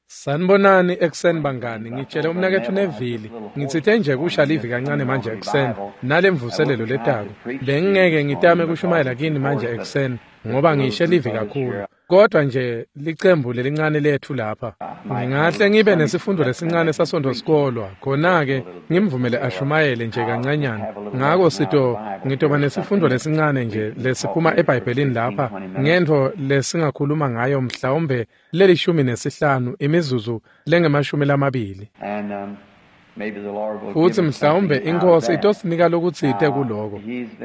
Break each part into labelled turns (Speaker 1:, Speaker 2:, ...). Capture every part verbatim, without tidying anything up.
Speaker 1: Sanibonani ekuseni bangani, ngitshele umnaketfu Neville ngitsite nje kusha livi kancane manje ekuseni nalemvuselelo letako. Bengingeke ngitame kushumayela kini manje ekuseni ngoba ngishe livi kakhulu. Kodwa nje licembu lelincane lethu lapha. Ngingahle ngibe nesifundo lesincane sasonto-sikolwa, khona-ke ngimvumele ashumayele nje kancanyana. Ngako sito ngitoba nesifundo lesincane nje lesiphuma eBhayibhelini lapha ngentfo lesingakhuluma ngayo mhlawumbe lelishumi nesihlanu imizuzu lengemashumi lamabili. Futsi mhlawumbe iNkhosi itosinika lokutsite kuloko.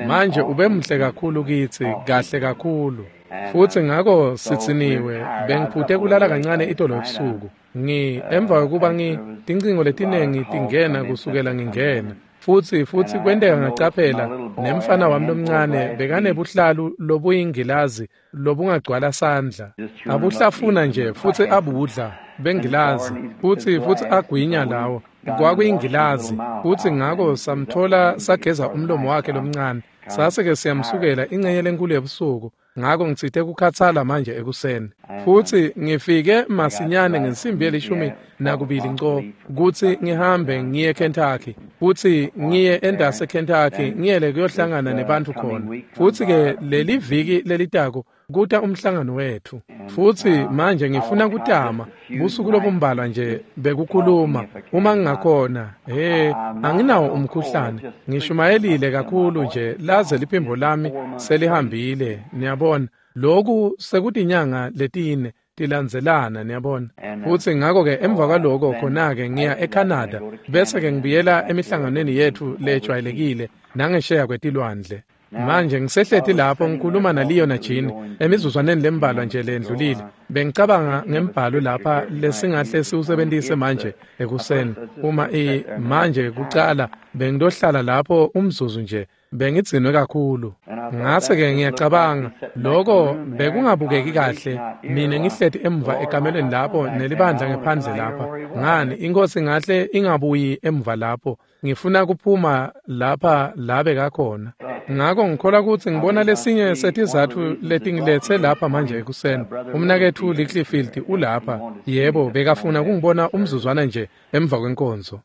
Speaker 1: Manje ube muhle kakhulu kitsi, kahle kakhulu. Futsi ngako sitsiniwe bengiphute kulala kancane itolo ebusuku. Ngi emva kwekuba ngi tincingo letinengi tingena kusukela ngingena. Futsi futsi kwenteka ngacaphela nemfana wami lomncane bekanebuhlalu lobuyingilazi lobungagcwala sandla. Abuhlafuna nje futsi abudla bengilazi futsi futsi agwinya lawo. Kwakuyingilazi futsi ngako samthola sageza umlomo wakhe lomncane. Sase-ke siyamsukela ingcenye lenkulu yebusuku. Ngako ngitsite kukhathala manje ekuseni. Futsi ngifike masinyane ngensimbi yelishumi nakubili nco kutsi ngihambe ngiye Kentucky. Futsi ngiye endase Kentucky ngiyele kuyohlangana nebantfu khona. Futsi-ke leli viki lelitako kuta umhlangano wethu. Futsi manje ngifuna kutama busuku lobumbalwa nje bekukhuluma uma ngingakhona. He, anginawo umkhuhlane. Ngishumayelile kakhulu nje laze liphimbo lami selihambile, niyabona. Lokhu sekutinyanga letine tilandzelana, niyabona. Futsi ngako-ke emva kwaloko khona-ke ngiya eCanada bese-ke ngibuyela emihlanganweni yethu lejwayelekile nangesheya kwetilwandle. Manje ngisehleti lapho ngikhuluma naLeo naJean emizuzwaneni lembalwa nje lendlulile. Bengicabanga ngembhalo lapha lesingahle siwusebentise manje ekuseni. Uma i manje kucala bengidohlala lapho umzuzu nje bengidzinwe kakhulu. Ngase-ke ngiyacabanga lokho bekungabukeki kahle mina ngihleti emva ekamelweni lapho nelibandla ngephandle lapha. Ngani iNkhosi ngahle ingabuyi emva lapho. Ngifuna kuphuma lapha labe kakhona. Ngako ngikholwa kutsi ngibona lesinye setizatfu letingilethe lapha manje ekuseni. Umnaketfu Littlefield ulapha. Yebo, bekafuna kungibona umzuzwana nje emva kwenkonzo.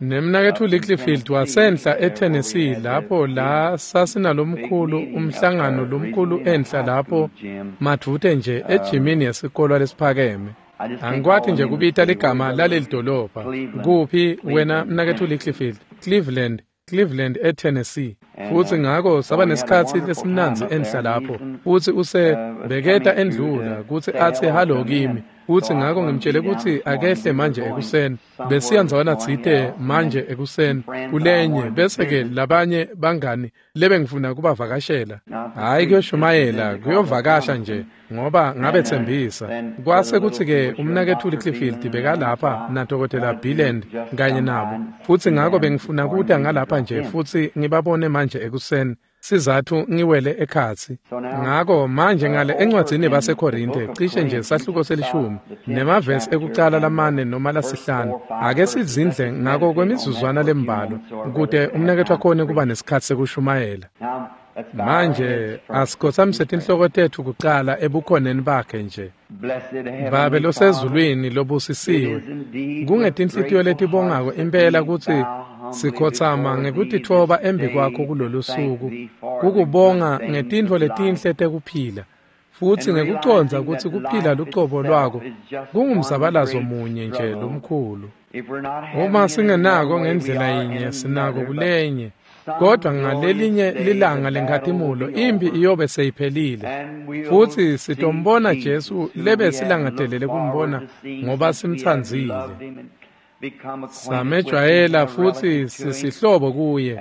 Speaker 1: Nemnaketfu Littlefield wasenhla eTennessee lapho la sasinalomkhulu umhlangano lomkhulu enhla lapho madvute nje ejimini yesikolwa lesiphakeme. Angikwati nje kubita ligama laleli dolobha. Kuphi wena mnaketfu Littlefield? Cleveland. Cleveland eTennessee. Futsi ngako saba nesikhatsi lesimnandzi enhla lapho. Futsi use beketa endlula kutsi atsi halo kimi. Futsi ngako ngimtshele kutsi akehle manje ekuseni. Besiya ndzawana tsite manje ekuseni kulenye bese-ke labanye bangani lebengifuna kubavakashela. Hhayi kuyoshumayela, kuyovakasha nje ngoba ngabetsembisa. Kwase kutsi-ke umnaketfu Littlefield bekalapha nadokotela Billand kanye nabo. Futsi ngako bengifuna kuta ngalapha nje futsi ngibabone manje ekuseni. Sizathu ngiwele ekhatsi. Ngako manje ngale encwadzini baseKorinte cishe nje sahluko selishumi nemavesi ekucala lamane noma lasihlanu. Ake sizindle ngako kwemizuzwana lembalwa kute umnaketfu akhone kuba nesikhatsi sekushumayela. Manje asikhotsamise tinhloko tetfu kucala ebukhoneni bakhe nje. Babe losezulwini lobusisiwe, kungetinhlitiyo letibongako impela kutsi sikhotsama ngekutitfoba embi kwakho kulolu suku, kukubonga ngetintfo letinhle tekuphila, futsi ngekucondza kutsi kuphila lucobo lwako kungumzabalazo munye nje lomkhulu. Uma singenako ngendlela yinye sinako kulenye, kodwa ngalelinye lilanga lenkhatimulo impi iyobe seyiphelile. Futsi sitombona Jesu lebe silangatelele kumbona ngoba simtsandzile. Samejwayela futsi sisihlobo kuye.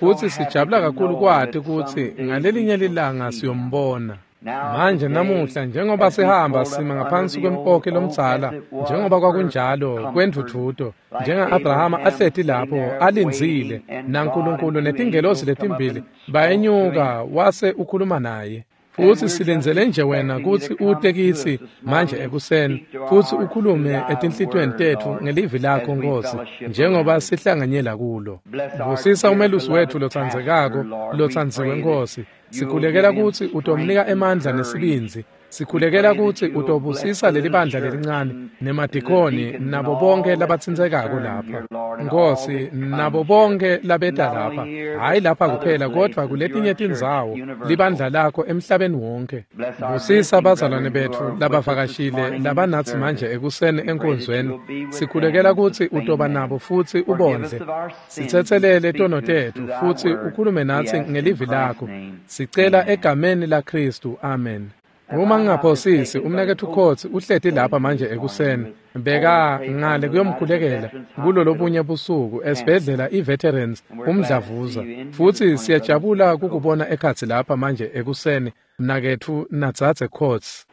Speaker 1: Futsi sijabula kakhulu kwati kutsi ngalelinye lilanga siyombona. Manje namuhla njengoba sihamba sima ngaphansi kwempoki lomdzala njengoba kwakunjalo kwendvudvuto njenga-Abrahama ahleti lapho alindzile naNkulunkulu netingelosi letimbili bayenyuka wase ukhuluma naye. Futsi silindzele nje wena kutsi ute kitsi manje ekuseni futsi ukhulume etinhlitiyweni tetfu ngelivi lakho Nkhosi njengoba sihlanganyela kulo. Busisa umelusi wetfu lotsandzekako lotsandziwe Nkhosi. Sikhulekela kutsi utomnika emandla nesibindzi. Sikhulekela kutsi utobusisa leli bandla lelincane nemadikoni nabo bonke labatsintsekako lapha. Nkosi, nabo bonke labeta lapha, hhayi lapha kuphela kodvwa kuletinye tindzawo libandla lakho emhlabeni wonke. Busisa bazalwane betfu labavakashile labanatsi manje ekuseni enkonzweni. Sikhulekela kutsi utoba nabo futsi ubondle. Sitsetselele tono tetfu futsi ukhulume natsi ngelivi lakho. Sicela egameni laKhristu. Amen. Uma ngingaphosisi, umnaketfu Coates uhleti lapha manje ekuseni. Beka ngale kuyomkhulekela kulolobunye busuku esibhedlela i-Veterans umdlavuza. Futsi siyajabula kukubona ekhatsi lapha manje ekuseni, mnaketfu nadzadze Coates.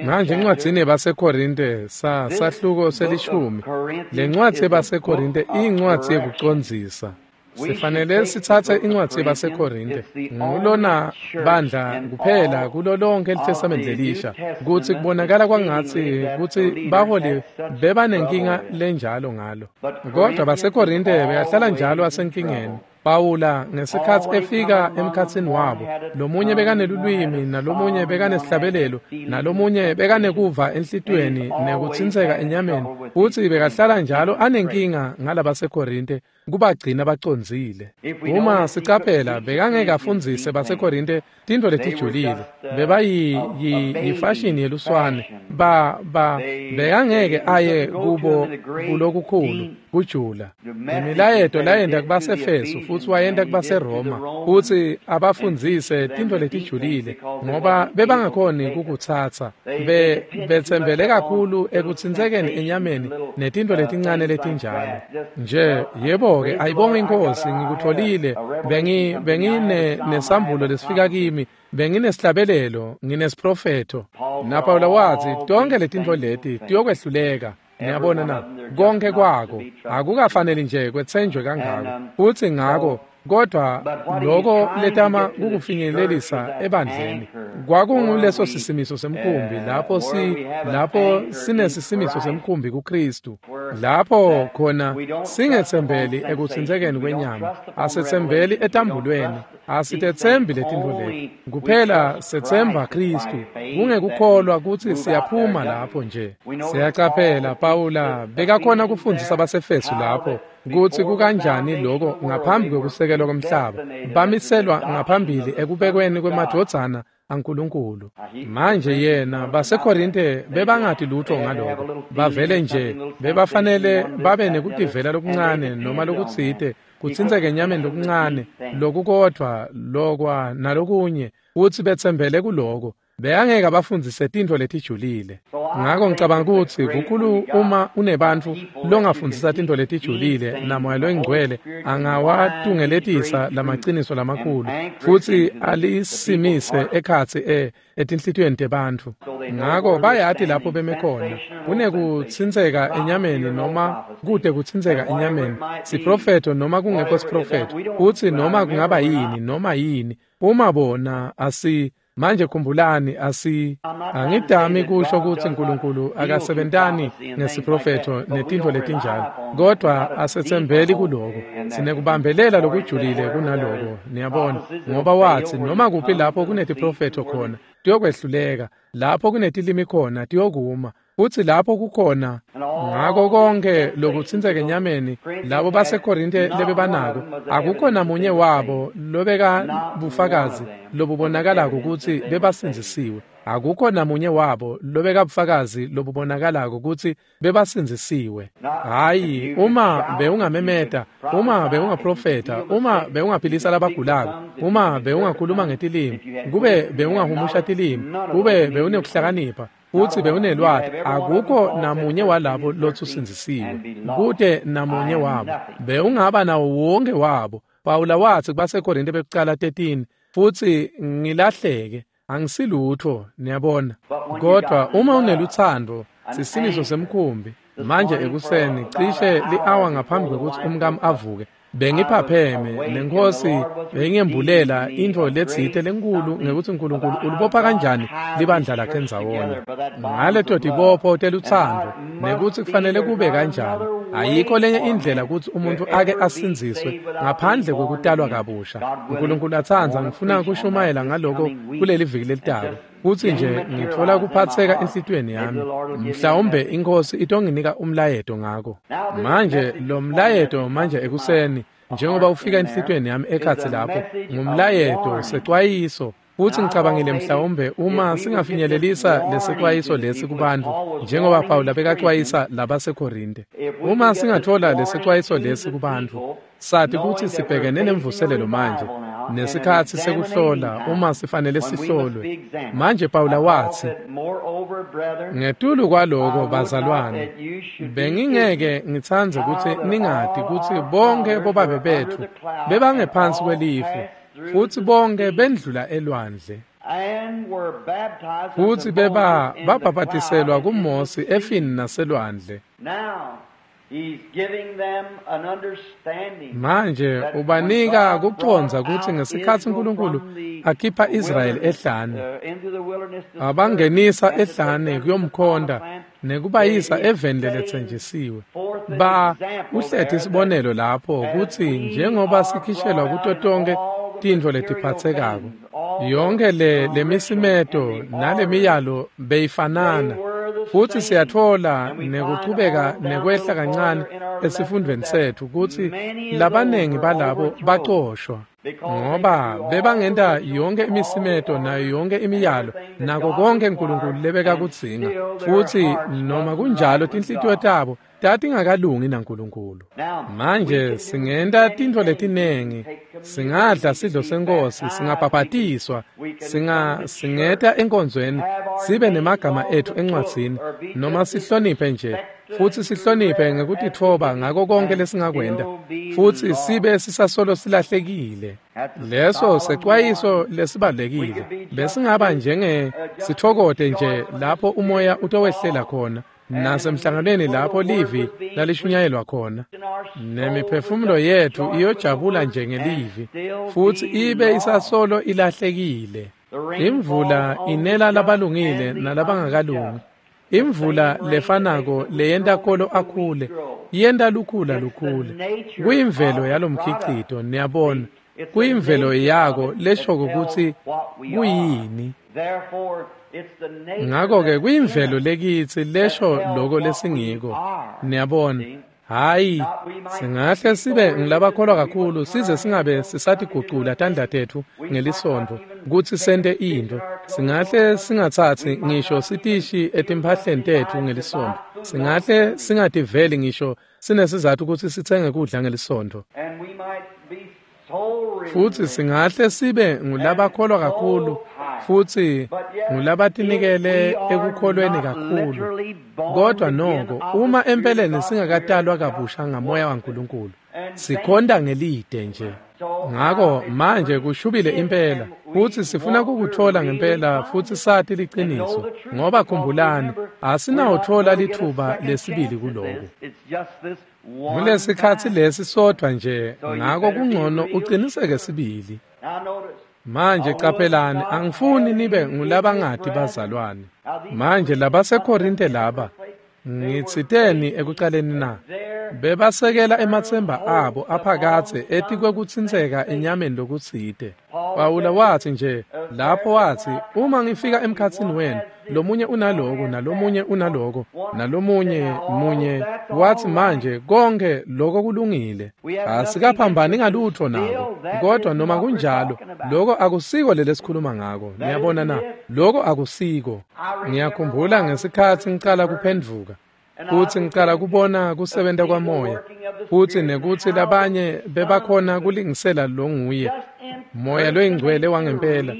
Speaker 1: Manje encwadzini yabaseKorinte sa sahluko selishumi, lencwadzi yabaseKorinte iyincwadzi yekucondzisa. Sifanele sitsatse incwadzi yabaseKorinte, ngulona bandla kuphela kulo lonke liTestamente lelisha, kutsi kubonakala kwangatsi kutsi baholi bebanenkinga lenjalo ngalo. Kodwa baseKorinte bekahlala njalo asenkingeni. Pawula ngesikhatsi efika emkhatsini wabo, lomunye bekanelulwimi, nalomunye bekanesihlabelelo, nalomunye bekanekuva enhlitiyweni nekutsintseka enyameni, futsi bekahlala njalo anenkinga ngalabaseKorinte kubagcina bacondzile. Uma sicaphela, bekangeke afundzise baseKorinte tintfo letijulile, bebayifashini yeluswane, ba ba bekangeke aye kubo kulokukhulu kujula. Imilayeto layenta kubaseFesu futsi wayenta kubaseRoma futsi abafundzise tintfo letijulile, ngoba bebangakhoni kukutsatsa. Be betsembele kakhulu ekutsintsekeni enyameni netintfo letincane letinjalo. Nje yebo-ke, ayibonge iNkhosi, ngikutfolile. Bengi bengine nesambulo lesifika kimi, benginesihlabelelo, nginesiprofetho. NaPawula watsi tonkhe letintfo leti tiyokwehluleka. Niyabona na, konke kwako akukafaneli nje kwetsenjwe kangako. Futsi ngako kodwa loko letama kukufinyelelisa ebandleni kwakunguleso sisimiso semkhumbi, lapho si lapho sinesisimiso semkhumbi kuKristu, lapho khona singetsembeli ekutsintsekeni kwenyama, asetsembeli etambulweni, asitetsembi letintfo leti kuphela, setsemba Kristu kungekukholwa kutsi siyaphuma lapho nje. Siyacaphela Pawula bekakhona kufundzisa baseFesu lapho kutsi kukanjani loko ngaphambi kwekusekelwa komhlaba bamiselwa ngaphambili ekubekweni kwemadvodzana aNkulunkulu. Manje yena baseKorinte bebangati lutho ngaloko, bavele nje bebafanele babe nekutivela lokuncane noma lokutsite, kutsintseke enyameni lokuncane lokukodvwa lokwa nalokunye, futsi betsembele kuloko. Bekangeke abafundzise tintfo letijulile. Ngako ngicabanga kutsi kukhulu uma unebantfu longafundzisa tintfo letijulile naMoya loyiNgcwele angawatungeletisa lamaciniso lamakhulu futsi alisimise ekhatsi e etinhlitiyweni tebantfu. Ngako bayati lapho beme khona, kunekutsintseka enyameni noma kute kutsintseka enyameni, siprofetho noma kungekho siprofetho, futsi noma kungaba yini noma yini uma bona asi. Manje khumbulani, asi angidami kusho kutsi Nkulunkulu akasebentani ngesiprofetho netintfo letinjalo, kodwa asetsembeli kuloko. Sinekubambelela lokujulile kunaloko, niyabona, ngoba watsi noma kuphi lapho kunetiprofetho khona tiyokwehluleka, lapho kunetilimi khona tiyokuma, futsi lapho kukhona. Ngako konke lokutsintseka enyameni labo baseKorinte lebebanako, akukho namunye wabo lobeka bufakazi lobubonakalako kutsi bebasindzisiwe. Akukho namunye wabo lobeka bufakazi lobubonakalako kutsi bebasindzisiwe. Hhayi, uma bewungamemeta, uma bewungaprofetha, uma bewungaphilisa labagulako, uma bewungakhuluma ngetilimi, kube bewungahumusha tilimi, kube bewunekuhlakanipha futsi bewunelwati, akukho namunye walabo lotsi usindzisiwe. Kute namunye wabo. Bewungaba nawo wonke wabo. Pawula watsi kubaseKorinte bekucala thirteen, futsi ngilahleke, angisilutho, niyabona. Kodwa uma unelutsandvo, sisimiso semkhumbi. Manje ekuseni cishe li-awa ngaphambi kwekutsi umkami avuke, bengiphapheme nenkosi bengiyembulela intfo letsite lenkulu ngekutsi Nkulunkulu ulibopha kanjani libandla lakhe ndzawonye ngaleto tibopho telutsandvo, nekutsi kufanele kube kanjani, Ayikho lenye indlela kutsi umuntfu ake asindziswe ngaphandle kwekutalwa kabusha. Nkulunkulu atsandza, ngifuna kushumayela ngaloko kuleli viki lelitako. Kutsi nje ngitfola kuphatseka enhlitiyweni yami. Mhlawumbe iNkhosi itonginika umlayeto ngako. Manje lo mlayeto manje ekuseni, njengoba ufika enhlitiyweni yami ekhatsi lapho, ngumlayeto secwayiso. Futsi ngicabangile mhlawumbe uma singafinyelelisa lesexwayiso lesi kubantfu, njengoba Pawula bekacwayisa labaseKorinte. Uma singatfola lesexwayiso lesi kubantfu, sati kutsi sibhekene nemvuselelo manje, nesikhatsi sekuhlola uma sifanele sihlolwe. Manje Pawula watsi, ngetulu kwaloko bazalwane, bengingeke ngitsandze kutsi ningati kutsi bonke bobabe betfu bebangephansi kwelifu, futsi bonke bendlula elwandle. Futsi beba babhabhatiselwa kuMosi efini naselwandle. Manje ubanika kucondza kutsi ngesikhatsi Nkulunkulu akhipha Israyeli ehlane, abangenisa ehlane kuyomkhonta nekubayisa eveni leletsenjisiwe. Ba uhlethe isibonelo lapho kutsi njengoba sikhishelwa kuto tonke tintfo letiphatsekako, yonke le lemisimeto nalemiyalo beyifanana. Futsi siyatfola nekuchubeka nekwehla kancane esifundvweni setfu kutsi labanengi balabo bacoshwa ngoba bebangenta yonke imisimeto nayo yonke imiyalo nako konke Nkulunkulu lebekakudzinga, futsi noma kunjalo tinhlitiyo tabo tatingakalungi naNkulunkulu. Manje singenta tintfo letinengi, singadla sidlo seNkhosi, singabhabhatiswa, singa singeta enkonzweni, sibe nemagama etfu encwadzini, noma sihloniphe nje, futsi sihloniphe ngekutitfoba ngako konke lesingakwenta, futsi sibe sisasolo silahlekile. Leso secwayiso lesibalulekile. Besingaba njenge sitfokote nje lapho umoya utowehlela khona, nasemhlanganweni lapho livi lalishunyayelwa khona, nemiphefumulo yetfu iyojabula nje ngelivi, futsi ibe isasolo ilahlekile. Imvula inela labalungile nalabangakalungi. Imvula lefanako leyenta kolo akhule, yenta lukhula lukhule. Kuyimvelo yalomkhicito, niyabona. Kuyimvelo yako leshoko kutsi kuyini. Ngako-ke kuyimvelo lekitsi lesho loko lesingiko, niyabona. Hhayi, singahle sibe ngilabakholwa kakhulu size singabe sisatigucula tandla tetfu ngelisontfo kutsi sente intfo. Singahle singatsatsi ngisho sitishi etimphahleni tetfu ngelisontfo. Singahle singativeli ngisho sinesizatfu kutsi sitsenge kudla ngelisontfo. Futsi singahle sibe ngulabakholwa kakhulu, futsi ngulabatinikele ekukholweni kakhulu. Kodwa noko, uma empeleni singakatalwa kabusha ngamoya waNkulunkulu, sikhonta ngelide nje. Ngako manje kushubile impela, futsi sifuna kukutfola ngempela futsi sati liciniso, ngoba khumbulani, asinawutfola litfuba lesibili kuloku. Kulesikhatsi lesi sodvwa nje, ngako kungcono uqiniseke sibili. Manje qaphelani, angifuni nibe ngulabangati bazalwane. Manje labaseKorinte laba, ngitsiteni ekucaleni na? Bebasekela ematsemba abo aphakadze etikwekutsintseka enyameni lokutsite. Pawula watsi nje lapho watsi, uma ngifika emkhatsini wenu, lomunye unaloko nalomunye unaloko nalomunye munye, watsi manje konke loko kulungile, asikaphambani ngalutfo nako. Kodwa noma kunjalo, loko akusiko lelesikhuluma ngako. Niyabona na? Loko akusiko. Ngiyakhumbula ngesikhatsi ngicala kuphendvuka, futsi ngicala kubona kusebenta kwamoya, futsi nekutsi labanye bebakhona kulingisela longuye moya loyingcwele wangempela,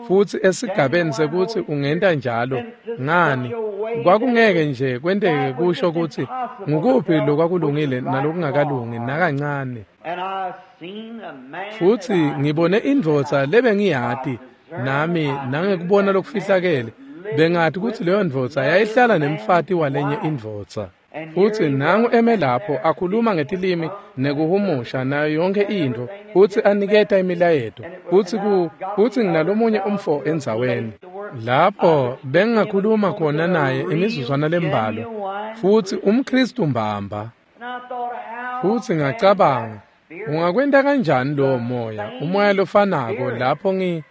Speaker 1: futsi esigabeni sekutsi ungenta njalo ngani, kwakungeke nje kwenteke kusho kutsi ngukuphi lokwakulungile nalokungakalungi nakancane. Futsi ngibone indvodza lebengiyati nami nangekubona lokufihlakele, bengati kutsi leyo ndvodza yayihlala nemfati walenye indvodza. Futsi nangu eme lapho akhuluma ngetilimi nekuhumusha nayo yonke intfo, futsi aniketa imilayeto, futsi ku futsi nginalomunye umfo endzaweni lapho bengingakhuluma khona naye imizuzwana lembalwa, futsi umKhristu mbamba. Futsi ngacabanga, ungakwenta kanjani lowo moya, umoya lofanako lapho ngi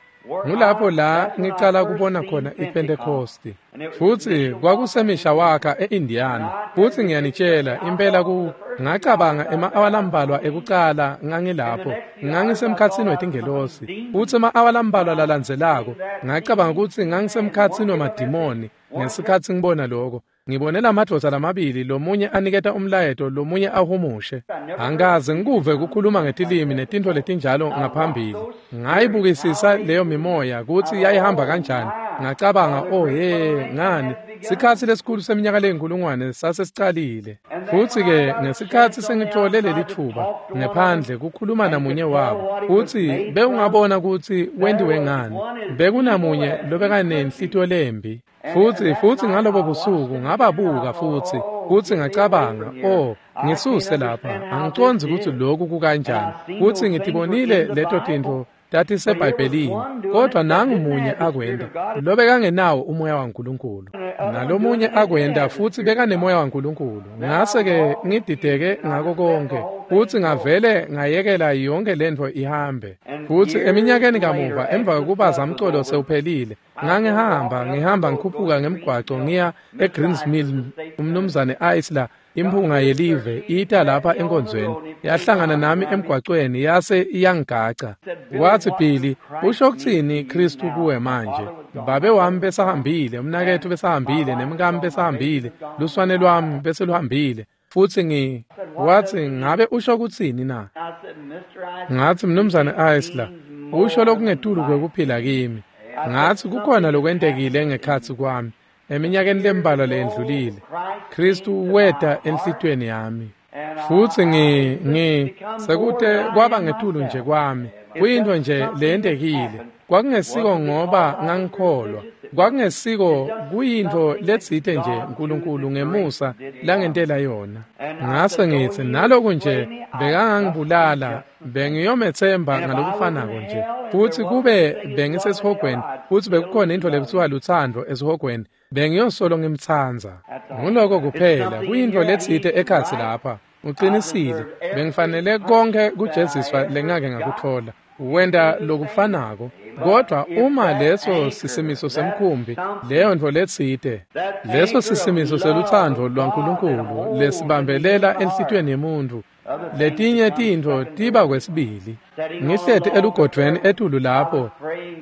Speaker 1: ngulapho la ngicala kubona khona iPentecosti. Futsi kwakuseMishawaka e-Indiana. Futsi ngiyanitshela impela ku ngacabanga ema-awa lambalwa ekucala ngangilapho, ngangisemkhatsini wetingelosi. Futsi ema-awa lambalwa lalandzelako ngacabanga kutsi ngangisemkhatsini wemadimoni ngesikhatsi ngibona lokho. Ngibone lamadvodza lamabili, lomunye aniketa umlayeto, lomunye ahumushe. Angikaze ngikuve kukhuluma ngetilimi netintfo letinjalo ngaphambili. Ngayibukisisa leyo mimoya kutsi yayihamba kanjani. Ngacabanga, oh he, ngani sikhatsi lesikhulu seminyaka leyinkulungwane sasesicalile. Futsi-ke ngesikhatsi sengitfole leli thuba ngephandle kukhuluma namunye wabo, futsi bewungabona kutsi wentiwe ngani. Bekunamunye lobekanenhlitiyo lembi. Futsi futsi ngalobo busuku ngababuka futsi futsi ngacabanga, oh, ngisuse lapha, angicondzi kutsi lokhu kukanjani. Futsi ngitibonile leto tintfo tatiseBhayibhelini, kodvwa nangu munye akwenta lobekangenawo umoya waNkulunkulu, nalomunye akwenta futsi bekanemoya waNkulunkulu. Ngase-ke ngidideke ngako konke, futsi ngavele ngayekela yonke lentfo ihambe. Futsi eminyakeni kamuva, emva kwekuba zamcolo sewuphelile, ngangihamba ngihamba ngikhuphuka ngemgwaco ngiya eGreens Mill. Umnumzane Isler, imphunga yelive, ita lapha enkonzweni, yahlangana nami emgwacweni yase iyangigaca. Watsi, Billy, usho kutsini Kristu kuwe manje? Babe wami besahambile, umnaketfu besahambile, nemkami besahambile, luswane lwami beseluhambile. Futsi ngi watsi, ngabe usho kutsini na? Ngatsi, Mnumzane Isler, usho lokungetulu kwekuphila kimi. Ngatsi kukhona lokwentekile ngekhatsi kwami eminyakeni lembalwa leyendlulile. Kristu weta enhlitiyweni yami. Futsi ngi ngi sekute kwaba ngetulu nje kwami. Kuyintfo nje leyentekile. Kwakungesiko ngoba ngangikholwa. Kwakungesiko, kuyintfo letsite nje uNkulunkulu ngemusa langentela yona. Ngase ngitsi, naloku nje bekangangibulala, bengiyomethemba ngalokufanako nje. Futsi kube bengisesihogweni, futsi bekukhona intfo lekutsiwa lutsandvo esihogweni, bengiyosolo ngimtsandza. Nguloko kuphela, kuyintfo letsite ekhatsi lapha. Ucinisile, bengifanele konke kujeziswa lengake ngakutfola. Wenta lokufanako, kodvwa uma leso sisimiso semkhumbi, leyo ntfo letsite, leso sisimiso selutsandvo lwaNkulunkulu lesibambelela enhlitiyweni yemuntfu, letinye tintfo tiba kwesibili. Ngihleti elugodvweni etulu lapho,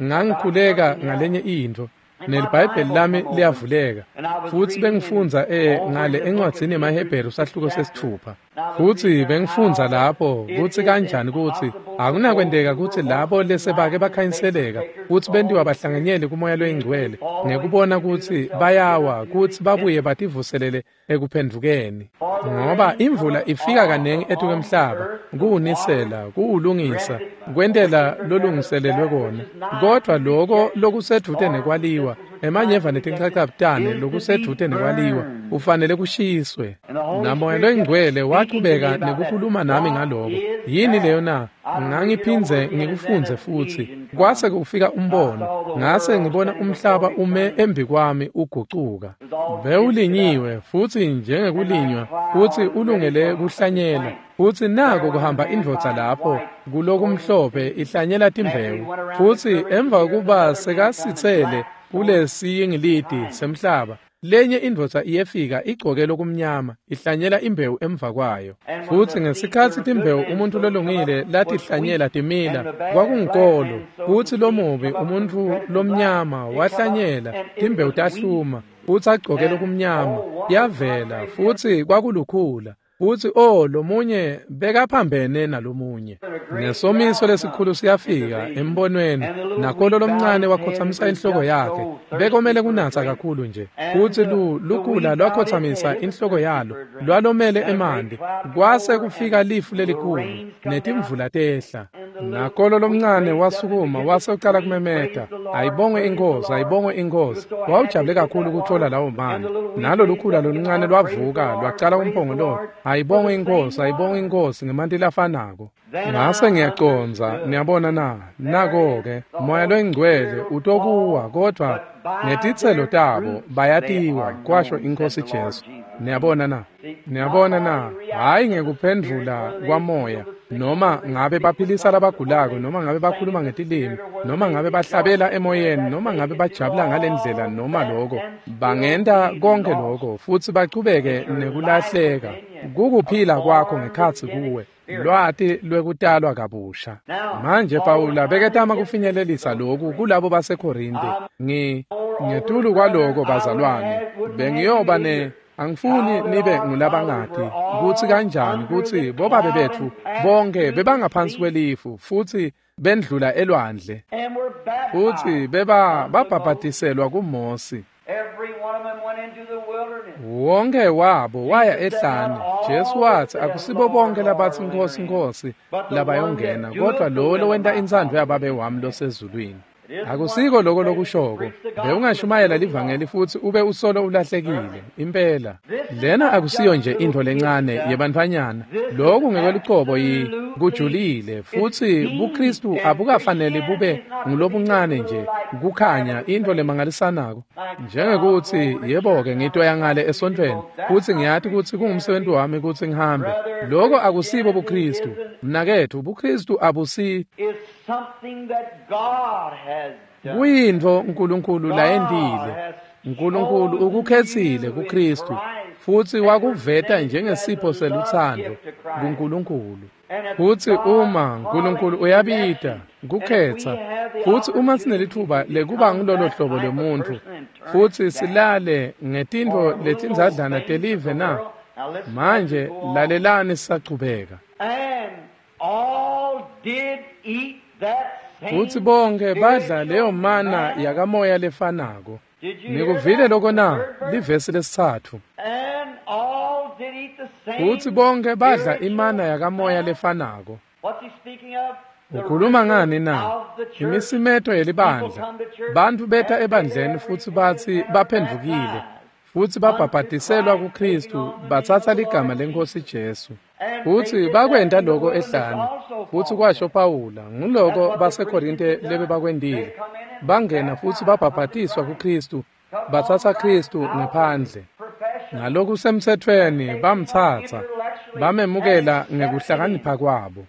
Speaker 1: ngangikhuleka ngalenye intfo, neliBhayibheli lami liyavuleka, futsi bengifundza e ngale encwadzini yemaHebheru sahluko sesitfupha. Futsi bengifundza lapho kutsi kanjani kutsi akunakwenteka kutsi labo lesebake bakhanyiseleka kutsi bentiwa bahlanganyele kumoya loyingcwele ngekubona kutsi bayawa kutsi babuye bativuselele ekuphendvukeni. Ngoba imvula ifika kanengi etukwemhlaba kuwunisela, kuwulungisa, kwentela lolungiselelwe kona. Kodvwa loko lokusedvute nekwaliwa, emanyeva netinchachabutane lokusedvute nekwaliwa, ufanele kushiswe. Namoya loyingcwele wachubeka nekukhuluma nami ngaloko. Yini leyo na? Ngangiphindze ngikufundze futsi. Kwase kufika umbono, ngase ngibona umhlaba ume embi kwami ugucuka. Bewulinyiwe futsi njengekulinywa, futsi ulungele kuhlanyela. Futsi nako kuhamba indvodza lapho kulokumhlophe ihlanyela timbewu. Futsi emva kokuba sekasitsele kulesiyingiliti semhlaba, lenye indvodza iyefika igcoke lokumnyama ihlanyela imbewu emva kwayo. Futsi ngesikhatsi timbewu umuntfu lolungile latihlanyela timila, kwakungunkolo. Futsi lomubi umuntfu lomnyama wahlanyela timbewu tahluma, futsi agcoke lokumnyama yavela, futsi kwakulukhula. Futsi oh, lomunye bekaphambene nalomunye. Nesomiso lesikhulu siyafika embonweni, nakolo lomncane wakhotsamisa inhloko yakhe. Bekomele kunatsa kakhulu nje. Futsi lu lukhula lwakhotsamisa inhloko yalo, lwalomele emanti. Kwase kufika lifu lelikhulu netimvula tehla. Nakolo lomncane wasukuma wase ucala kumemeta, ayibongwe inkosi, ayibongwe inkosi. Wawujabule kakhulu kutfola lawo manti. Nalo lukhula loluncane lwavuka lwacala umphongololo, ayibongwe inkosi, ayibongwe inkosi ngemanti lafanako. Ngase ngiyacondza, niyabona na, nako-ke moya loyingcwele utokuwa, kodvwa ngetitselo tabo bayatiwa, kwasho inkosi Jesu. Niyabona na? Niyabona na? Hhayi ngekuphendvula kwamoya, noma ngabe baphilisa labagulako, noma ngabe bakhuluma ngetilimi, noma ngabe bahlabela emoyeni, noma ngabe bajabula ngalendlela noma lokho. Bangenta konke lokho futsi bachubeke nekulahleka. Kukuphila kwakho ngekhatsi kuwe, lwati lwekutalwa kabusha. Manje Pawula beketama kufinyelelisa lokhu kulabo baseKorinte. Ngi ngetulu kwaloko bazalwane, bengiyoba ne angifuni nibe ngulabangati kutsi kanjani kutsi bobabe betfu bonke bebangaphansi kwelifu futsi bendlula elwandle futsi beba babhabhatiselwa kuMosi. Wonke wabo waya ehlane. Jesu watsi akusibo bonke labatsi Nkosi Nkosi labayongena, kodwa lowo lowenta intsandvo yaBabe wami losezulwini. Akusiko lokho lokushoko. Bewungashumayela livangeli futsi ube usolo ulahlekile impela. Lena akusiyo nje intfo lencane yebantfwanyana. Lokhu ngekwelucobo yi kujulile futsi buKristu abukafaneli bube ngulobuncane nje kukhanya intfo lemangalisanako. Njengekuthi yebo-ke ngitoya ngale esontfweni futsi ngiyati kutsi kungumsebenzi wami kutsi ngihambe. Lokho akusibo buKristu. Mnaketfu, buKristu abusi kuyintfo uNkulunkulu layentile. uNkulunkulu ukukhetsile kuKristu futsi wakuveta njengesipho selutsandvo kuNkulunkulu. Futsi uma uNkulunkulu uyabita kukhetsa, futsi uma sinelitfuba lekuba ngulolo hlobo lwemuntfu futsi silale ngetintfo letindzadlana telive na? Manje lalelani sisachubeka. Futsi bonke badla leyo mana yakamoya lefanako. Nikuvile lokho na? Livesi lesitsatfu. Futsi bonke badla imana yakamoya lefanako. Ukhuluma ngani na? Imisimeto yelibandla. Bantfu beta ebandleni futsi batsi baphendvukile futsi babhabhatiselwa kuKristu, batsatsa ligama leNkosi Jesu. Futsi bakwenta lokho ehlane. Futsi kwasho Pawula, nguloko baseKorinte lebebakwentile. Bangena futsi babhabhatiswa kuKristu, batsatsa Kristu ngephandle. Ngalokusemtsetfweni bamtsatsa, bamemukela ngekuhlakanipha kwabo.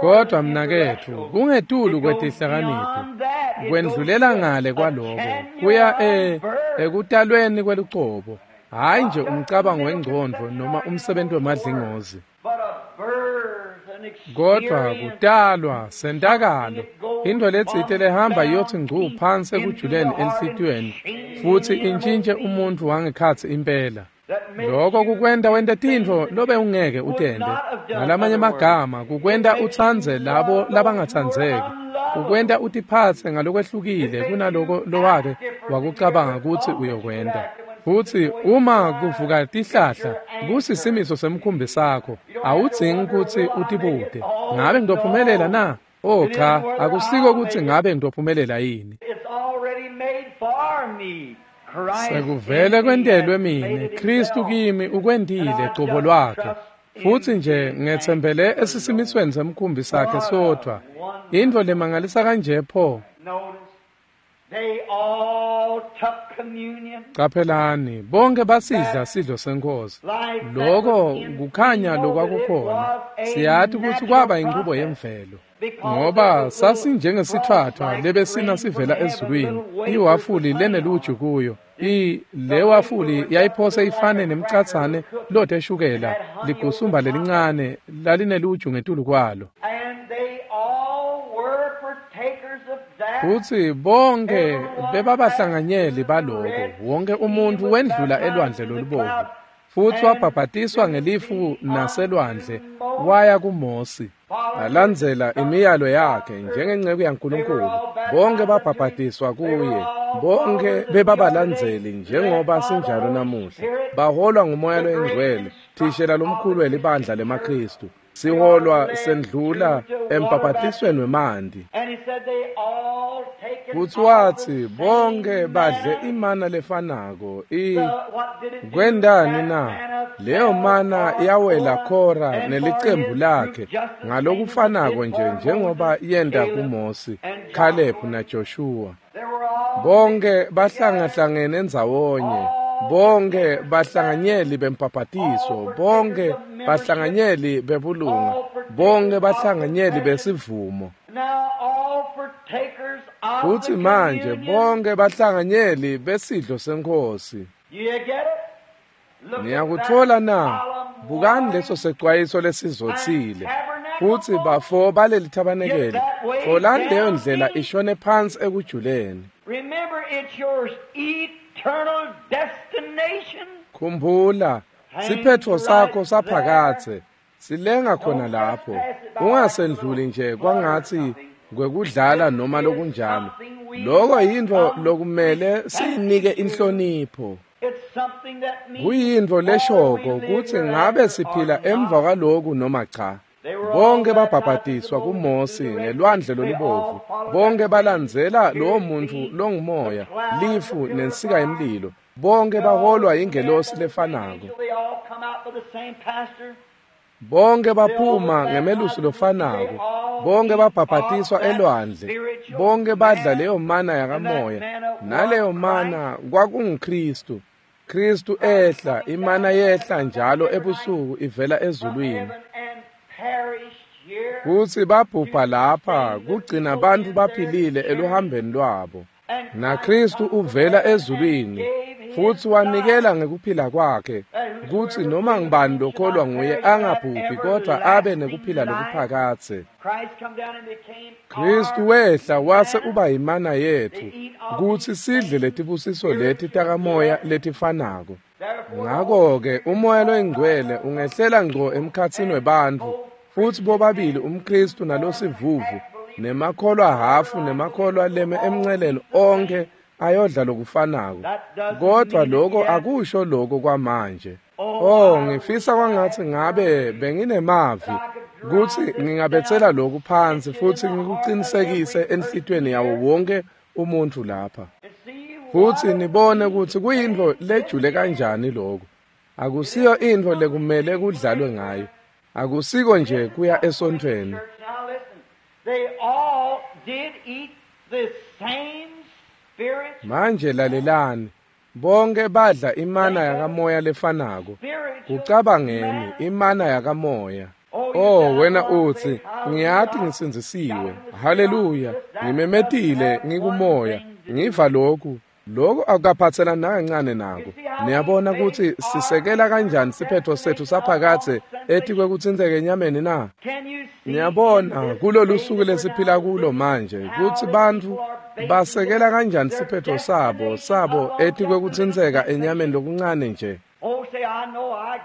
Speaker 1: Kodwa mnaketfu, kungetulu kwetihlakaniphi, kwendlulela ngale kwaloko, kuya e ekutalweni kwelucobo. Hhayi nje umcabango wengcondvo noma umsebenzi wemadlingozi, kodwa kutalwa sentakalo, intfo letsite lehamba iyothi ngcu phansi ekujuleni enhlitiyweni futsi intshintje umuntfu wangekhatsi impela. Lokho kukwenta wente tintfo lobe ungeke utente. Ngalamanye amagama, kukwenta utsandze labo labangatsandzeki, kukwenta utiphatse ngalokwehlukile kunaloko lowake wakucabanga kutsi uyokwenta. Futsi uma kuvuka tihlahla kusisimiso semkhumbi sakho, awudzingi kutsi utibute, ngabe ngitophumelela na? Oh cha, akusiko kutsi ngabe ngitophumelela yini. Sekuvele kwentelwe mine, Kristu kimi ukwentile cobo lwakhe. Futsi nje ngetsembele esisimisweni semkhumbi sakhe sodvwa. Intfo lemangalisa kanje pho. Caphelani, bonke basidla sidlo seNkhosi. Lokho kukhanya lokwakukhona. Siyati kutsi kwaba inchubo yemvelo, ngoba sasinjengesitfwatfwa lebesina sivela ezulwini, iwafuli leneluju kuyo. I le wafuli yayiphose ifane nemcatsane lote shukela, ligusumba lelincane lalineluju ngetulu kwalo. Futsi bonke bebabahlanganyeli baloko, wonke umuntfu wendlula elwandle lolubovu futsi wabhabhatiswa ngelifu naselwandle waya kuMosi. Balandzela imiyalo yakhe njengenceku yaNkulunkulu. Bonke babhabhatiswa kuye, bonke bebabalandzeli njengoba sinjalo namuhla. Baholwa nguMoya loyiNgcwele, thishela lomkhulu welibandla lemaKristu. Siholwa sendlula embhabhatisweni wemanti. Futsi watsi bonke badle imana lefanako. I kwentani na? Leyo mana yawela Khora nelicembu lakhe ngalokufanako nje njengoba yenta kuMosi, Caleb naJoshua. Bonke bahlangahlangene ndzawonye, Bonke bahlanganyeli bembhabhatiso, bonke bahlanganyeli bebulunga, bonke bahlanganyeli besivumo. Futhi manje bonke bahlanganyeli besidlo senkosi. Niyakuthola na? Bukani leso secwayiso lesizothile. Futhi bafo baleli thabanekele, tholani leyo ndlela ishone phansi ekujuleni. Khumbula, siphetho sakho saphakathe silenga khona lapho. Ungasendluli nje kwangathi kwekudlala noma lokunjalo. Lokho yinto lokumele siyinike inhlonipho. Kuyinto leshoko kutsi ngabe siphila emva kwaloku noma cha. Bonke babhabhadiswa kuMosi ngelwandle lolubovu. Bonke balandzela lowo muntu longumoya, lifu nensika yemlilo. Bonke baholwa ingelosi lefanako. Bonke baphuma ngemelusi lofanako. Bonke babhabhadiswa elwandle. Bonke badla leyo mana yakamoya. Naleyo mana kwakunguKristu. Kristu ehla, imana yehla njalo ebusuku ivela ezulwini. Kutsi babhubha lapha kugcina abantu baphilile eluhambeni lwabo. NaKristu uvela ezulwini futsi wanikela ngekuphila kwakhe kutsi noma ngubani lokholwa nguye angabhubhi kodwa abe nekuphila lokuphakadze. Kristu wehla wase uba yimana yetfu kutsi sidle letibusiso leti takamoya letifanako. Ngako-ke umoya loyingcwele ungehlela ngco emkhatsini webantfu futsi bobabili umKristu nalosivuvu nemakholwa hafu nemakholwa leme emnceleni onke ayodla lokufanako. Kodwa lokho akusho lokho kwamanje. Oh, ngifisa kwangathi ngabe benginemavi kutsi ngingabetsela lokhu phansi futsi ngikuqinisekise enhlitiyweni yawo wonke umuntu lapha. Futsi nibone kutsi kuyintfo lejule kanjani lokho. Akusiyo intfo lekumele kudlalwe ngayo. Akusiko nje kuya esontfweni. Manje lalelani, bonke badla imana yakamoya lefanako. Kucabangeni imana yakamoya. Oh, wena utsi, ngiyati ngisindzisiwe. Haleluya, ngimemetile ngikumoya, ngiva lokhu. Lokho akukaphathelani nakancane nako. Niyabona kutsi sisekela kanjani siphetho sethu saphakadze etikwekutsintseka enyameni na? Niyabona kulolu suku lesiphila kulo manje kutsi bantfu basekela kanjani siphetho sabo sabo etikwekutsintseka enyameni lokuncane nje.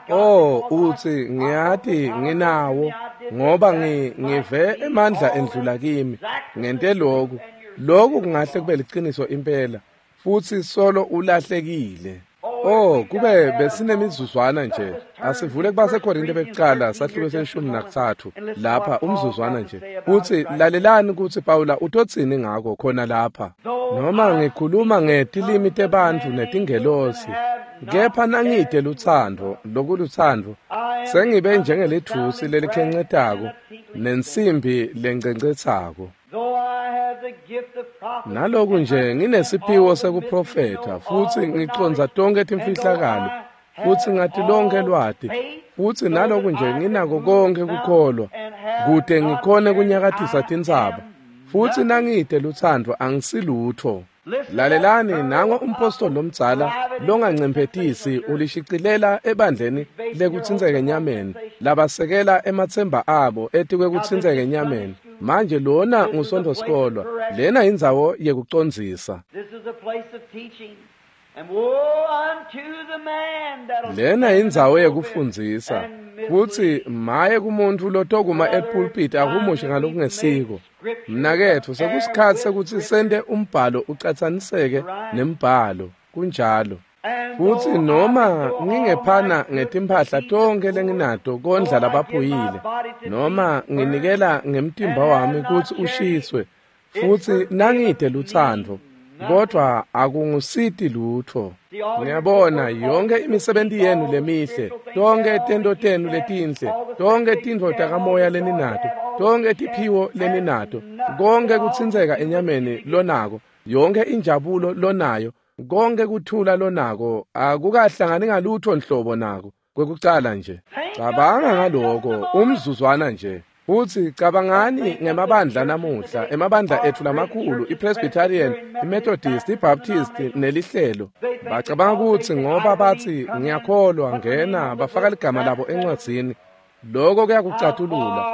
Speaker 1: Oh, utsi ngiyati nginawo ngoba ngive emandla endlula kimi ngente lokhu. Lokhu kungahle kube liciniso impela. Futsi solo ulahlekile. Oh, kube besinemizuzwana nje. Asivule kubaseKorinte bekucala sahluko seshumi nakutsatfu lapha umzuzwana nje. Utsi lalelani kutsi Pawula utotsini ngako khona lapha. Noma ngikhuluma ngetilimi tebantfu netingelosi, kepha nangite lutsandvo, lokulutsandvo, sengibe njengelitfusi lelikhencetako nensimbi lencencetsako. Naloku nje nginesiphiwo sekuprofetha futsi ngicondza tonkhe timfihlakalo futsi ngati lonke lwati futsi naloku nje nginako konke kukholwa kute ngikhone kunyakatisa tintsaba futsi nangite lutsandvo angisilutho. Lalelani nango umpostoli lomdzala longancemphetisi ulishicilela ebandleni lekutsintseka enyameni labasekela ematsemba abo etikwekutsintseka enyameni. Manje lona ngusontfosikolwa, lena indzawo yekucondzisa. Lena indzawo yekufundzisa futsi maye kumuntu lotokuma epulpit ahumushe ngalokungesiko. Mnaketfu, sekusikhatsi sekutsi sente umbhalo ucatsaniseke nembhalo. Kunjalo. Futsi noma ngingephana ngetimphahla tonkhe lenginato kondla labaphuyile, noma nginikela ngemtimba wami kutsi ushiswe, futsi nangite lutsandvo, kodwa akungusiti lutho. Ngiyabona yonke imisebenti yenu lemihle, tonke tento tenu letinhle, tonke tintfo takamoya leninato, tonke tiphiwo leninato, konke kutsintseka enyameni lonako, yonke injabulo lonayo, Konke kuthula lonako akukahlangani ngalutho nhlobo nako kwekucala nje. Cabanga ngaloko umzuzwana nje. Futhi cabangani ngemabandla namuhla, emabandla ethu lamakhulu, iPresbyterian, iMethodist, iBaptist nelihlelo. Bacabanga ukuthi ngoba bathi ngiyakholwa ngena bafaka ligama labo encwadzini. Lokho kuyakucatulula.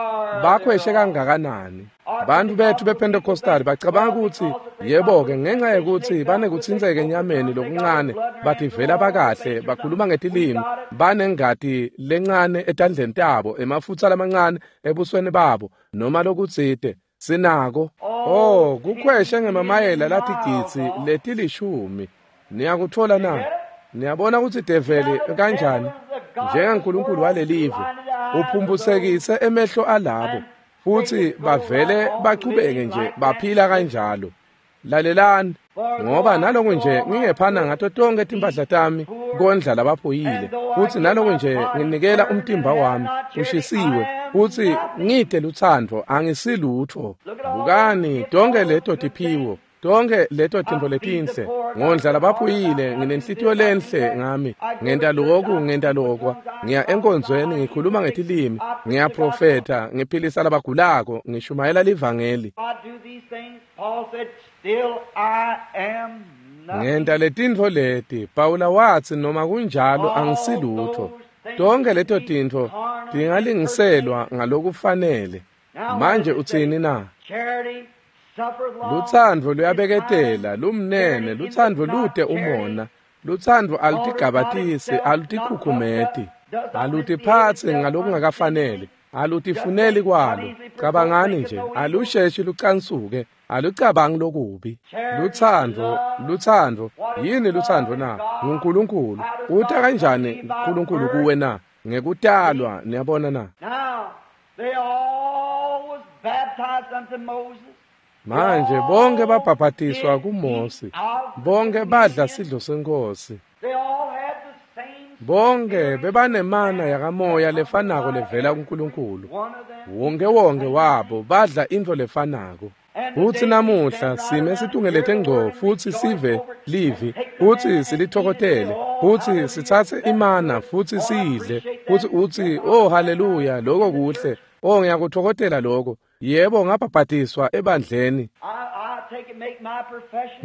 Speaker 1: Bakhweshe kangakanani? Bantu bethu bePentecostal bacabanga ukuthi yebo-ke ngenxa yokuthi banekuthintseka enyameni lokuncane bathi vela bakahle bakhuluma ngetilimi banengati lencane etandleni tabo emafutha lamancane ebusweni babo noma lokutsite sinako. Oh, kukhweshe ngemamayela latigitsi letilishumi. Niyakuthola na? Niyabona ukuthi develi kanjani njengaNkulunkulu walelive uphumbusekise emehlo alabo futhi bavele bachubeke nje baphila kanjalo. Lalelani, ngoba naloku nje ngingephana ngato tonke timpahla tami kondla labaphuyile, futhi naloku nje nginikela umtimba wami ushisiwe futhi ngide luthando angisilutho. Bukani tonke leto tiphiwo, tonke leto tintfo letinhle, ngondla labaphuyile, nginenhlitiyo lenhle ngami, ngenta lokhu ngenta lokwa, ngiya enkonzweni ngikhuluma ngetilimi, ngiyaprofetha, ngiphilisa labagulako, ngishumayela livangeli. Ngenta letintfo leti, Pawula watsi noma kunjalo angisilutho. Tonke leto tintfo tingalingiselwa ngalokufanele. Manje utsini na? Lutsandvo luyabeketela, lumnene, lutsandvo lute umona, lutsandvo alutigabatisi, alutikhukhumeti, alutiphatsi ngalokungakafanele, alutifuneli kwalo. Cabangani nje, alusheshi lucansuke, alucabangi lokubi. Lutsandvo, lutsandvo, yini lutsandvo na? NguNkulunkulu. Uta kanjani uNkulunkulu kuwe na? Ngekutalwa, niyabona na? Manje bonke babhabhatiswa kuMose, bonke badla sidlo senkosi, bonke bebanemana yakamoya lefanako levela kuNkulunkulu. Wonke wonke wabo badla intfo lefanako. Futsi namuhla sime situngelete ngco futsi sive livi futsi silithokotele futsi sitsatse imana futsi siyidle futsi utsi oh haleluya, lokho kuhle, oh ngiyakuthokotela lokho. Yebo, ngabhabhatiswa ebandleni.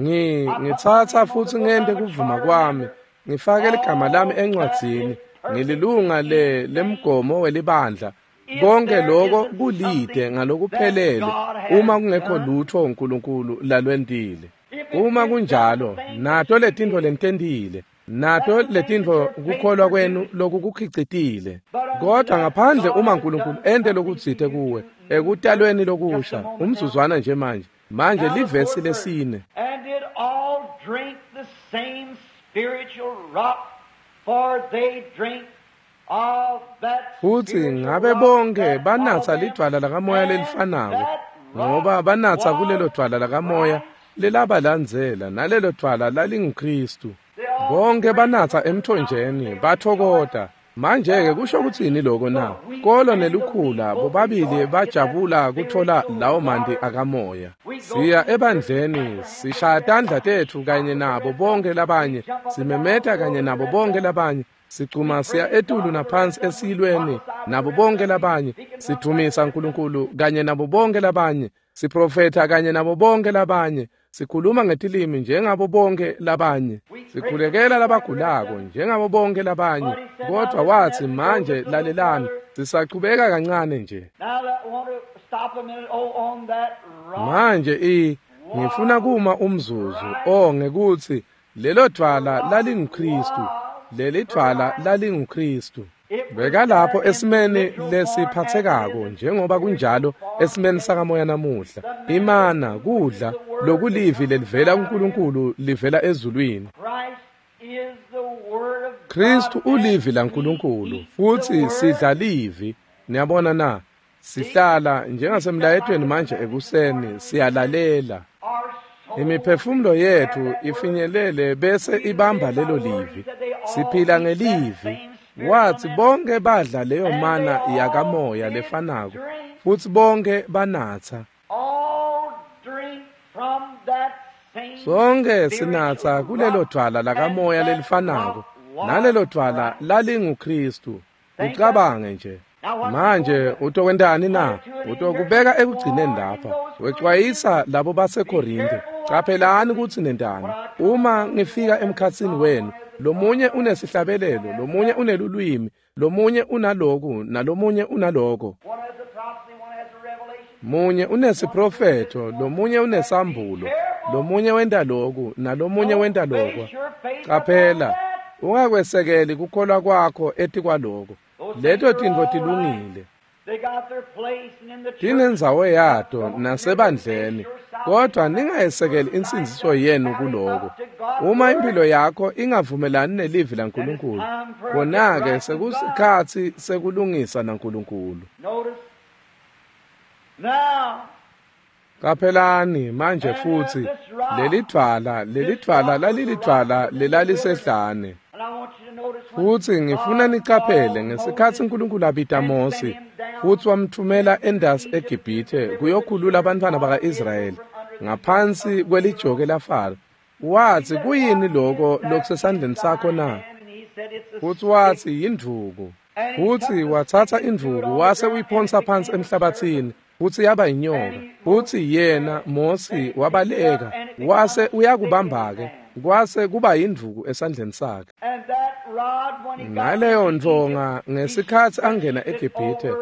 Speaker 1: Ngi ngitsatsa futsi ngente kuvuma kwami, ngifake ligama lami encwadzini, ngililunga le lemgomo welibandla. Konke lokho kulide ngalokuphelele uma kungekho lutho uNkulunkulu lalwentile. Uma kunjalo, nato letintfo lentendile, nato letintfo kukholwa kwenu lokukukhicitile. Kodwa ngaphandle uma uNkulunkulu ente lokutsite kuwe ekutalweni lokusha, umzuzwana nje manje. Manje livesi lesine.
Speaker 2: And did all drink the same spiritual rock, for they drink of that
Speaker 1: Futhi ngabe bonke banatsa lidvwala lakamoya lelifanako, ngoba banatsa kulelo dvwala lakamoya lelabalandzela, nalelo dvwala lalinguKristu. Bonke banatsa emthonjeni bathokota. Manje-ke kusho kutsini lokho na? Kolo nelukhula bobabili bajabula kuthola lawo manti akamoya. Siya ebandleni, sishaya tandla tetfu kanye nabo bonke labanye, simemeta kanye nabo bonke labanye, sicuma siya etulu naphansi esiyilweni nabo bonke labanye, sidvumisa uNkulunkulu kanye nabo bonke labanye, siprofetha kanye nabo bonke labanye, sikhuluma ngetilimi njengabo bonke labanye, sikhulekela labagulako njengabo bonke labanye. Kodwa wathi manje lalelani, sisachubeka kancane nje. Manje i ngifuna kuma umzuzu oh ngekuthi lelo dvwala lalinguKristu, leli dvwala lalinguKristu. Bekalapho esimeni lesiphathekako njengoba kunjalo esimeni sakamoya namuhla. Imana kudla lokulivi lelivela kuNkulunkulu livela ezulwini. Kristu ulivi laNkulunkulu futhi sidla livi. Niyabona na? Sihlala njengasemlayetweni manje ekuseni siyalalela. Imiphefumulo yethu ifinyelele bese ibamba lelo livi. Siphila ngelivi. Wathi bonke badla leyo mana yakamoya lefanako futhi bonke banatsa. Sonke sinatsa kulelo dvwala lakamoya lelifanako, nalelo dvwala lalinguKristu. Ucabange nje. Manje utokwentani na? Utokubeka ekugcineni lapha. Wecwayisa labo baseKorinte. Caphelani kutsi nentani. Uma ngifika emkhatsini wenu, lomunye unesihlabelelo, lomunye unelulwimi, lomunye unaloku, nalomunye unaloko. Munye unesiprofetho, lomunye unesambulo, lomunye wenta loku, nalomunye wenta lokwa. Qaphela, ungakwesekeli kukholwa kwakho etikwaloko. Leto tintfo tilungile. Tinendzawo yato nasebandleni, kodwa ningayesekeli insindziso yenu kuloko. Uma impilo yakho ingavumelani nelivi laNkulunkulu, khona-ke sekusikhatsi sekulungisa naNkulunkulu. Qaphelani manje futsi lelidvwala lelidvwala lalilidvwala lelalisehlane. Futsi ngifuna nicaphele ngesikhatsi uNkulunkulu abita Mose futsi wamthumela endasi eGibhithe kuyokhulula abantwana baka-Israyeli ngaphansi kwelijoke laFaro. Watsi, kuyini loko lokusesandleni sakho na? Futsi watsi, yindvuku. Futsi watsatsa indvuku wase uyiphonsa phansi emhlabathini, futsi yaba inyoka. Futsi yena Mose wabaleka wase uyakubamba-ke, kwase kuba yindvuku esandleni sakhe. Ngaleyo ndvonga ngesikhatsi angena eGibhithe,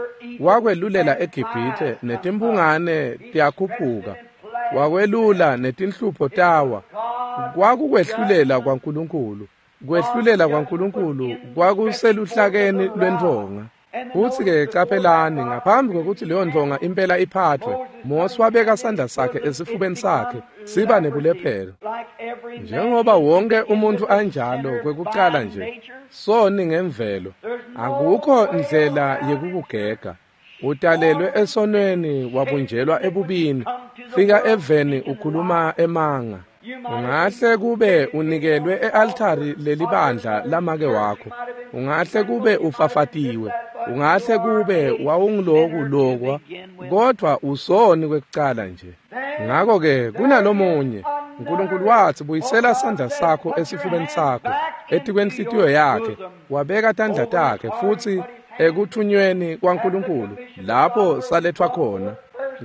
Speaker 1: wakwelulela eGibhithe, netimphungane tiyakhuphuka, wakwelula netinhlupho tawa. Kwakukwehlulela kwaNkulunkulu. Kwehlulela kwaNkulunkulu kwakuseluhlakeni lwendvonga. Futsi-ke caphelani, ngaphambi kwekutsi leyo ndvonga impela iphathwe, Mose wabeka sandla sakhe esifubeni sakhe, siba nebulephelo. Njengoba wonke umuntfu anjalo kwekucala nje, soni ngemvelo, akukho ndlela yekukugega. Utalelwe esonweni, wabunjelwa ebubini, fika eveni ukhuluma emanga. Ungahle kube unikelwe e-altari lelibandla lamake wakho, ungahle kube ufafatiwe, ungahle kube wawungiloku lokwa, kodwa usoni kwekucala nje. Ngako-ke kunalomunye, uNkulunkulu watsi, buyisela sandla sakho esifubeni sakho, etikwenhlitiyo yakhe, wabeka tandla takhe futsi ekuthunyweni kwaNkulunkulu lapho salethwa khona.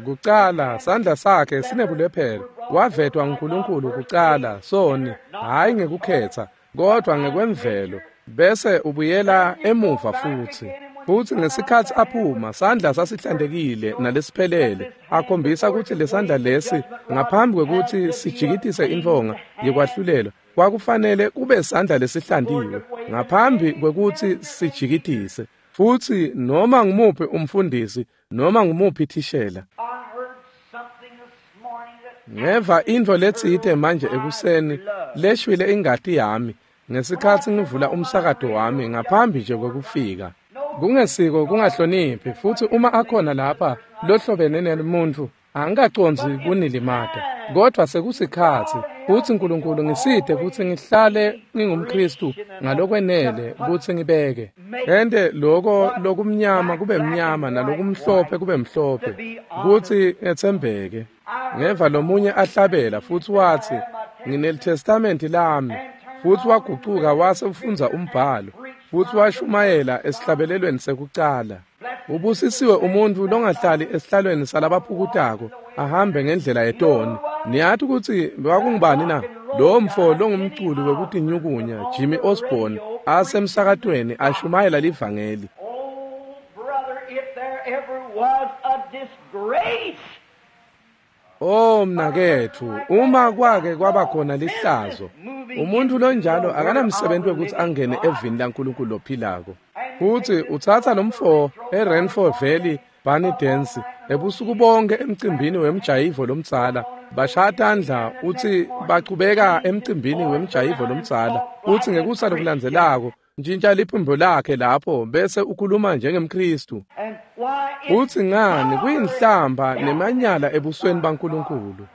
Speaker 1: Kucala sandla sakhe sinebulephelo, wavetwa nguNkulunkulu kucala soni, hhayi ngekukhetha, kodwa ngekwemvelo, bese ubuyela emuva futsi. Futsi ngesikhatsi aphuma, sandla sasihlantekile nalesiphelele, akhombisa kutsi lesandla lesi ngaphambi kwekutsi sijikitise intfonga yekwahlulelwa, kwakufanele kube sandla lesihlantiwe ngaphambi kwekutsi sijikitise. Futsi noma ngumuphi umfundisi, noma ngumuphi thishela. Ngeva intfo letsite manje ekuseni leshwile ingati yami ngesikhatsi ngivula umsakato wami ngaphambi nje kwekufika. Kungesiko kungahloniphi, futsi uma akhona lapha lohlobene nemuntfu, angikacondzi kunilimata, kodvwa sekusikhatsi futsi uNkulunkulu ngisite kutsi ngihlale ngingumKristu ngalokwenele kutsi ngibeke ente loko lokumnyama kube mnyama nalokumhlophe kube mhlophe, kutsi ngetsembeke. Ngeva lomunye ahlabela futsi watsi, nginelitestamenti lami, futsi wagucuka wase ufundza umbhalo futsi washumayela esihlabelelweni sekucala. Ubusisiwe umuntfu longahlali esihlalweni salabaphukutako, ahambe ngendlela yetoni. Niyati kutsi kwakungubani na? Lowo mfo longumculi wekutinyukunya Jimmy Osborne asemsakatweni ashumayela livangeli. Oh mnaketfu, uma kwake kwaba khona lihlazo, umuntfu lonjalo akanamsebenzi wekutsi angene evini laNkulunkulu lophilako. Futsi utsatsa lomfo eRenford Valley Barney Dance ebusuku bonke emcimbini wemjayivo lomdzala, bashaya tandla utsi bachubeka emcimbini wemjayivo lomdzala, utsi ngekusa lokulandzelako ntshintsha liphimbo lakhe lapho bese ukhuluma njengemKristu. Utsi ngani kuyinhlamba nemanyala ebusweni baNkulunkulu.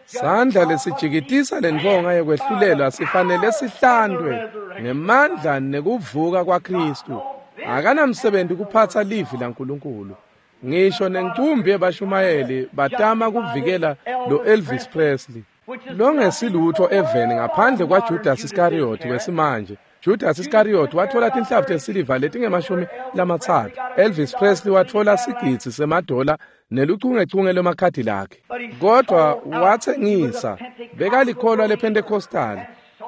Speaker 1: Sandla lesijikitisa lentfonga yekwehlulelwa sifanele sihlandwe ngemandla nekuvuka kwaKristu. Akanamsebenzi kuphatsa livi laNkulunkulu. Ngisho nencumbi yebashumayeli batama kuvikela lo Elvis Presley longesilutho eveni ngaphandle kwaJudas Iscariot wesimanje. Judas Iscariot wathola tinhlavu tesiliva letingemashumi lamatsatfu. Elvis Presley wathola sigidzi semadola neluchungechunge lwemakhadi lakhe. Kodwa watsengisa, bekalikholwa lePentecostal,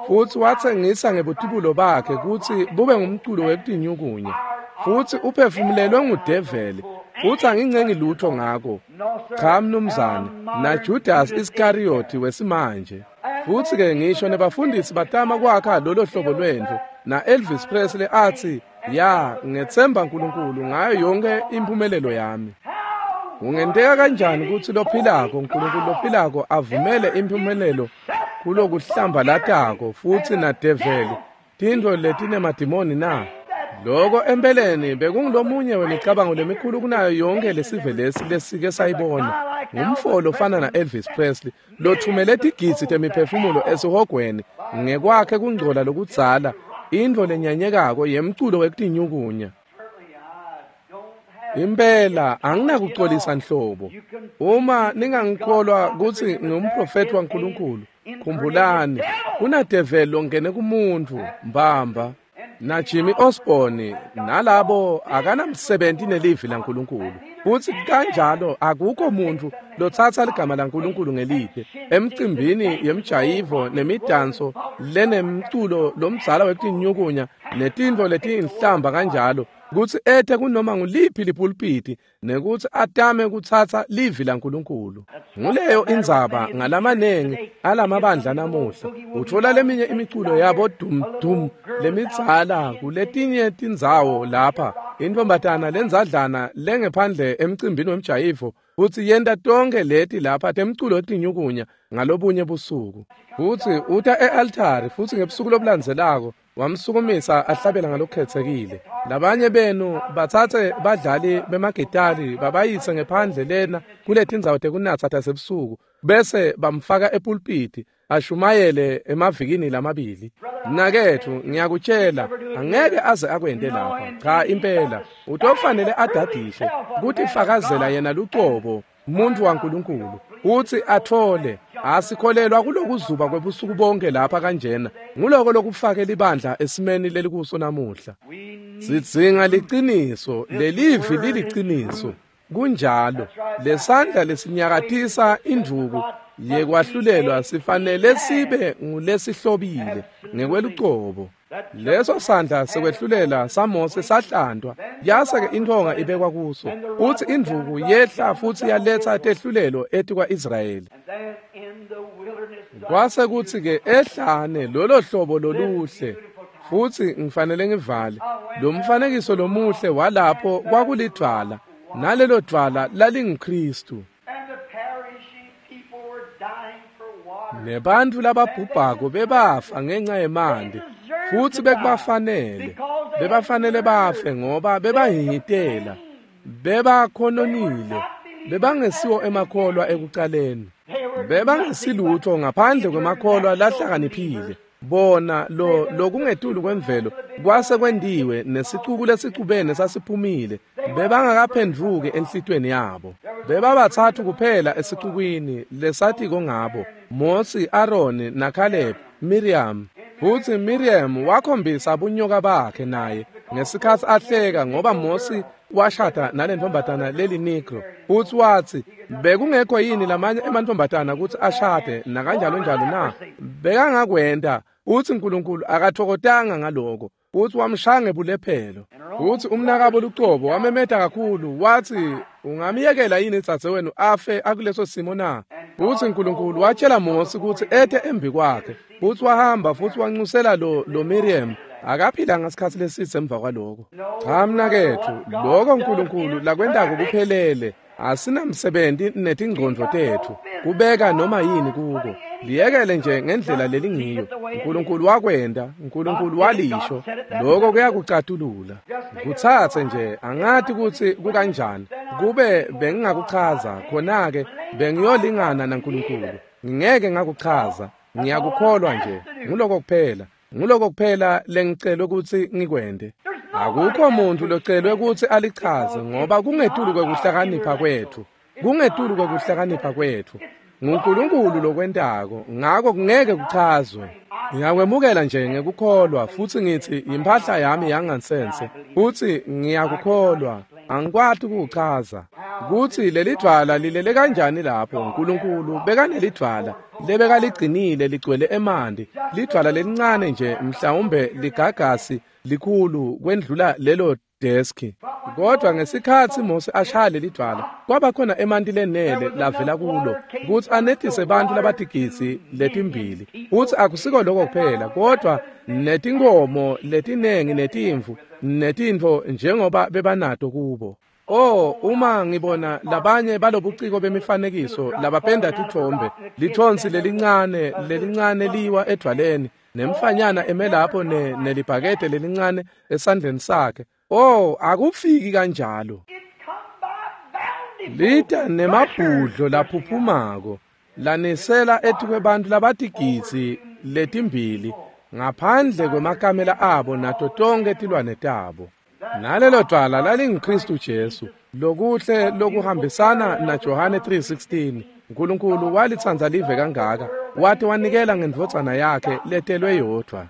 Speaker 1: futsi watsengisa ngebutibulo bakhe kutsi bube ngumculo wekutinyukunya, futsi uphefumulelwe ngudeveli, futsi angincengi lutho ngako. Cha mnumzane, naJudas Iscariot wesimanje. Futsi-ke ngisho nebafundisi batama kwakha lolo hlobo lwentfo, na-Elvis Presley atsi, "Ya, ngetsemba uNkulunkulu ngayo yonke impumelelo yami." Kungenteka kanjani kutsi lophilako, uNkulunkulu lophilako avumele impumelelo kulokuhlambalatako futsi nadeveli tintfo letinemadimoni na? Loko empeleni bekungulomunye wemicabango lemikhulu kunayo yonke lesive lesi lesike sayibona. Ngumfo lofana na-Elvis Presley lothumele tigidzi temiphefumulo esihogweni ngekwakhe kungcola lokudzala, intfo lenyanyekako yemculo wekutinyukunya. Impela anginakucolisa nhlobo. Uma ningangikholwa kutsi ngumprofeti waNkulunkulu, khumbulani kunadeveli longene kumuntfu mbamba. Na Jimmy Osborne nalabo akanamsebenzi nelivi laNkulunkulu. Futsi kanjalo akukho muntfu lotsatsa ligama laNkulunkulu ngelide emcimbini yemjayivo nemidanso lenemculo lomdzala wekutinyukunya netintfo letiyinhlamba kanjalo, kutsi ete kunoma nguliphi lipulpiti nekutsi atame kutsatsa livi laNkulunkulu. Nguleyo indzaba ngalamanengi alamabandla namuhla. Utfola leminye imiculo yabo dum dum lemidzala kuletinye tindzawo lapha. Intfombatana lendzadlana lengephandle emcimbini wemjayivo futsi yenta tonke leti lapha temculo wetinyukunya ngalobunye busuku. Futsi uta e-altari futsi ngebusuku lobulandzelako wamsukumisa ahlabela ngalokukhetsekile. Labanye benu batsatse badlali bemagitari babayise ngephandle lena kuletindzawo tekunatsa tasebusuku bese bamfaka epulpiti ashumayele emavikini lamabili. Mnaketfu, ngiyakutshela, angeke aze akwente lapha. Cha impela, utofanele adadishe kutifakazela yena lucobo umuntu waNkulunkulu utsi athole. Asikholelwa kulokuzuba kwebusuku bonke lapha kanjena. Nguloko lokufake libandla esimeni lelikuso namuhla. Sidzinga liciniso, lelivi liliciniso. Kunjalo, lesandla lesinyakatisa indvuku yekwahlulelwa sifanele sibe ngulesihlobile ngekwelucobo. Leso sandla sekwehlulela saMose sahlantwa, yase-ke intonga ibekwa kuso, utsi indvuku yehla futsi yaletsa tehlulelo etikwa-Israyeli. Kwase kutsi-ke ehlane lolo hlobo loluhle, futsi ngifanele ngivale lo mfanekiso lomuhle walapho kwakulidvwala, nalelo dvwala lalinguKhristu. Nebantfu lababhubhako bebafa ngenca yemanti, futsi bekubafanele, bebafanele bafe ngoba bebahihitela, bebakhononile, bebangesiwo emakholwa ekucaleni, bebangesilutho ngaphandle kwemakholwa lahlakaniphile. Bona lo lokungetulu kwemvelo kwase kwentiwe nesicuku lesicubene sasiphumile, bebangakaphendvuki enhlitweni yabo. Bebabatsatfu kuphela esicukwini lesatiko ngabo, Mosi, Aroni naKhaleb, Miriam. Futsi Miriam wakhombisa bunyoka bakhe naye ngesikhatsi ahleka ngoba Mosi washada nalentfombatana leli-Negro. Futsi watsi, bekungekho yini lamanye emantfombatana kutsi ashade nakanjalo njalo na? Bekangakwenta. Utsi uNkulunkulu akatfokotanga ngaloko, futsi wamshaya ngebulephelo. Futsi umnakabo lucobo wamemeta kakhulu watsi, ungamyekela yini dzadzewenu afe akuleso simo na? Futsi uNkulunkulu watshela Mosi kutsi ete embi kwakhe, futsi wahamba futsi wancusela lo, lo Miriam. Akaphilanga sikhatsi lesidze emva kwaloko. Cha mnaketfu, loko uNkulunkulu lakwentako kuphelele. Asinamsebenzi netingcondvo tetfu kubeka noma yini kuko. Liyekele nje ngendlela lelingiyo. uNkulunkulu wakwenta, uNkulunkulu walisho, loko kuyakucatulula. Kutsatse nje, angati kutsi kukanjani. Kube bengingakuchaza, khona-ke bengiyolingana naNkulunkulu. Ngingeke ngakuchaza, ngiyakukholwa nje. Nguloko kuphela. Nguloko kuphela lengicelwe kutsi ngikwente. Akukho muntu locelwe kutsi alichaze ngoba kungetulu kwekuhlakanipha kwetfu. Kungetulu kwekuhlakanipha kwetfu. NguNkulunkulu lokwentako, ngako kungeke kuchazwe. Ngiyakwemukela nje ngekukholwa futsi ngitsi imphahla yami yangansense futsi ngiyakukholwa. Angikwati ukuchaza kutsi lelidvwala lilele kanjani lapho. uNkulunkulu bekanelidvwala lebekaligcinile ligcwele emanti, lidvwala lelincane nje mhlawumbe ligagasi likhulu kwendlula lelo deski. Kodwa ngesikhatsi Mose ashaya lelidvwala, kwaba khona emanti lenele lavela kulo kutsi anetise bantfu labatigidzi letimbili. Futsi akusiko lokho kuphela, kodwa netinkhomo letinengi netimvu netintfo njengoba bebanato kubo. Oh, uma ngibona labanye balobuciko bemifanekiso labapenda titfombe, lithonsi lelincane lelincane liwa edvwaleni, nemfanyana eme lapho ne nelibhakede lelincane esandleni sakhe. Oh, akufiki kanjalo. Lita nemabhudlo laphuphumako lanisela etikwebantu labatigidzi letimbili ngaphandle kwemakamela abo nato tonke tilwane tabo. Nalelo dvwala lalinguKristu Jesu, lokuhle lokuhambisana na Johane three sixteen. uNkulunkulu walitsandza live kangaka, wathi wanikela ngendvodzana yakhe letelwe yodvwa,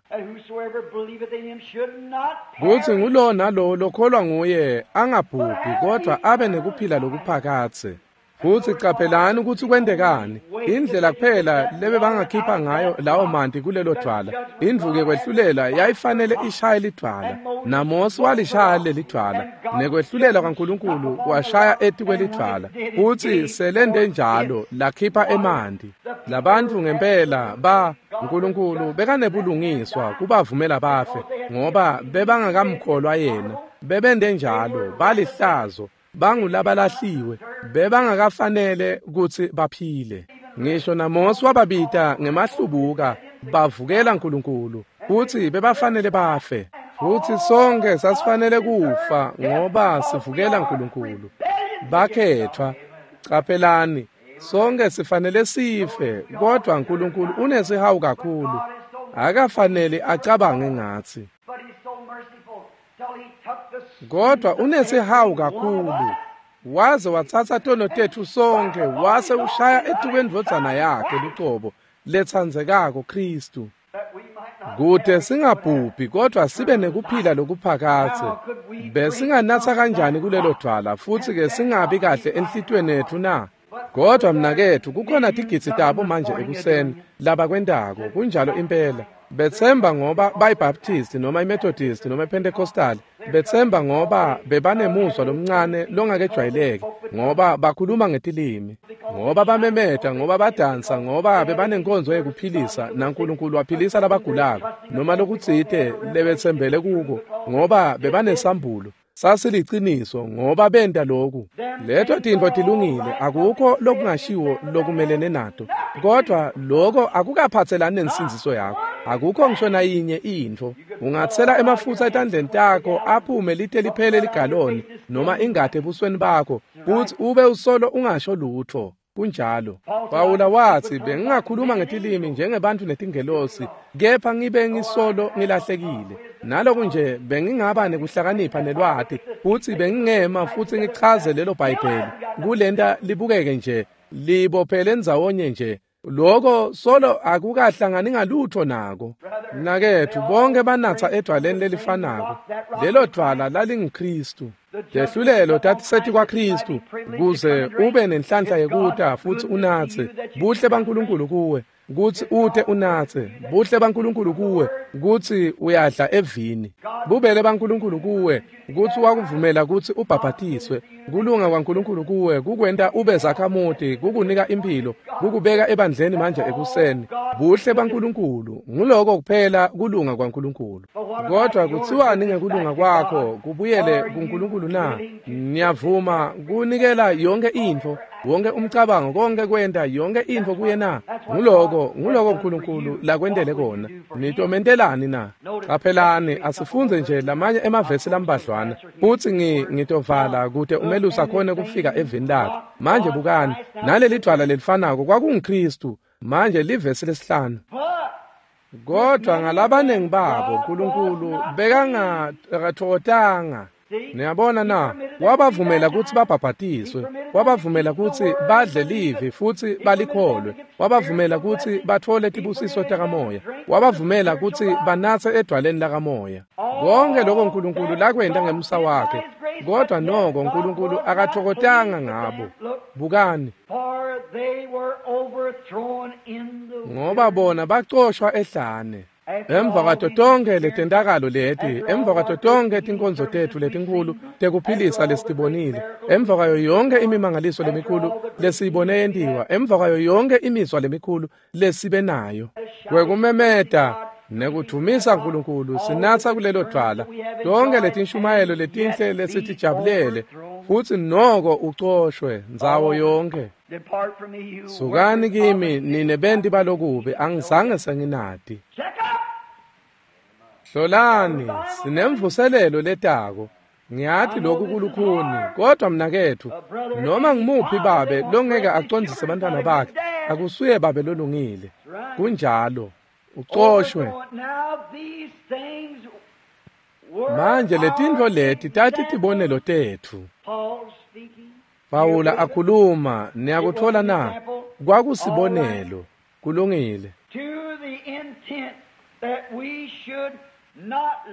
Speaker 1: kutsi ngulo nalo lokholwa nguye angabhubhi kodwa abe nekuphila lokuphakadze. Futsi caphelani kutsi kwentekani. Indlela kuphela lebebangakhipha ngayo lawo manti kulelo dvwala, indvuku yekwehlulela yayifanele ishaye lidvwala. NaMose walishaya lelidvwala, nekwehlulela kwaNkulunkulu kwashaya etikwelidvwala. Futsi selende njalo lakhipha emanti. Labantfu ngempela ba uNkulunkulu bekanebulungiswa kubavumela bafe, ngoba bebangakamkholwa yena. Bebende njalo balihlazo, bangulabalahliwe, bebangakafanele kutsi baphile. Ngisho naMose wababita ngemahlubuka, bavukela uNkulunkulu, futsi bebafanele bafe. Futsi sonke sasifanele kufa ngoba sivukela uNkulunkulu. Bakhetfwa. Caphelani, sonke sifanele sife, kodwa uNkulunkulu unesihawu kakhulu, akafanele acabange ngatsi. Kodwa unesihawu kakhulu, waze watsatsa tono tetfu sonke wase ushaya etikwendvodzana yakhe lucobo letsandzekako Kristu, kute singabhubhi kodwa sibe nekuphila lokuphakadze. Besinganatsa kanjani kulelo dvwala futsi ke singabi kahle enhlitiyweni yetfu na? Kodwa mnaketfu, kukhona tigidzi tabo manje ekuseni labakwentako kunjalo impela. Betsemba ngoba bayiBaptist noma iMethodist noma iPentecostal. Betsemba ngoba bebanemuzwa lomncane longakejwayeleki, ngoba bakhuluma ngetilimi, ngoba bamemeta, ngoba badansa, ngoba bebanenkonzo yekuphilisa naNkulunkulu waphilisa labagulako noma lokutsite lebetsembele kuko, ngoba bebanesambulo sasiliciniso, ngoba benta lokhu. Leto tintfo tilungile, akukho lokungashiwo lokumelene nato, kodwa lokho akukaphatselani nensindziso yakho. Akukho ngisho nayinye intfo. Ungatsela emafutsa etandleni takho aphume lite liphele ligaloni noma ingati ebusweni bakho, futsi ube usolo ungasho lutfo. Kunjalo. Pawula watsi, bengingakhuluma ngetilimi njengebantfu netingelosi, kepha ngibe ngisolo ngilahlekile. Naloku nje bengingaba nekuhlakanipha nelwati, futsi bengingema futsi ngichaze lelo Bhayibheli kulenta libukeke nje libophele ndzawonye nje. Lokho solo akukahlangani ngalutho nako. Mnaketfu, bonke banatsa edvwaleni lelifanako. Lelo dvwala lalinguKristu. Tehlulelo tatiseti kwaKristu kuze ube nenhlanhla yekuta futsi unatse. Buhle baNkulunkulu kuwe kutsi ute unatse. Buhle baNkulunkulu kuwe kutsi uyadla evini. Bubele baNkulunkulu kuwe kutsi wakuvumela kutsi ubhabhatiswe. Kulunga kwaNkulunkulu kuwe kukwenta ube zakhamuti, kukunika impilo, kukubeka ebandleni manje ekuseni. Buhle baNkulunkulu nguloko kuphela kulunga kwaNkulunkulu. Kodwa kutsiwani ngekulunga kwakho kubuyele kuNkulunkulu na? Niyavuma kunikela yonke intfo, wonke umcabango, konke kwenta yonke intfo kuye na? Nguloko nguloko uNkulunkulu lakwentele kona. Nitomentelani na? Caphelani, asifunze nje lamanye emavesi lambadlwana futsi ngi ngitovala kute umelusi akhone kufika evini lakhe. Manje bukani, naleli dvwala lelifanako kwakunguKristu. Manje livesi lesihlanu.
Speaker 2: But
Speaker 1: Kodwa ngalabanengi babo uNkulunkulu bekangathokozanga. Niyabona na, wabavumela kutsi babhabhatiswe, wabavumela kutsi badle livi futsi balikholwe, wabavumela kutsi batfole tibusiso takamoya, wabavumela kutsi banatse edwaleni lakamoya. Konke lokho uNkulunkulu lakwenta ngemusa wakhe, kodwa noko uNkulunkulu akathokozanga ngabo. Bukani, ngoba bona bacoshwa ehlane. Emva kwato tonke letentakalo leti, emva kwato tonke tinkonzo tetfu letinkhulu tekuphilisa lesitibonile, emva kwayo yonke imimangaliso lemikhulu lesiyibone yentiwa, emva kwayo yonke imizwa lemikhulu lesibe nayo, kwekumemeta nekudvumisa uNkulunkulu sinatsa kulelo dvwala, tonke letinshumayelo letinhle lesitijabulele, futsi noko ucoshwe ndzawo yonke. Sukani kimi nine benti balokubi, angizange senginati. Hlolani, sinemvuselelo letako. Ngiyati lokhu kulukhuni, kodwa mnaketfu, noma ngimuphi babe longeke acondzise bantwana bakhe, akusuye babe lolungile. Kunjalo, ucoshwe. Manje letintfo leti tatitibonelo tetfu. Pawula akhuluma, niyakutfola na? Kwakusibonelo. Kulungile.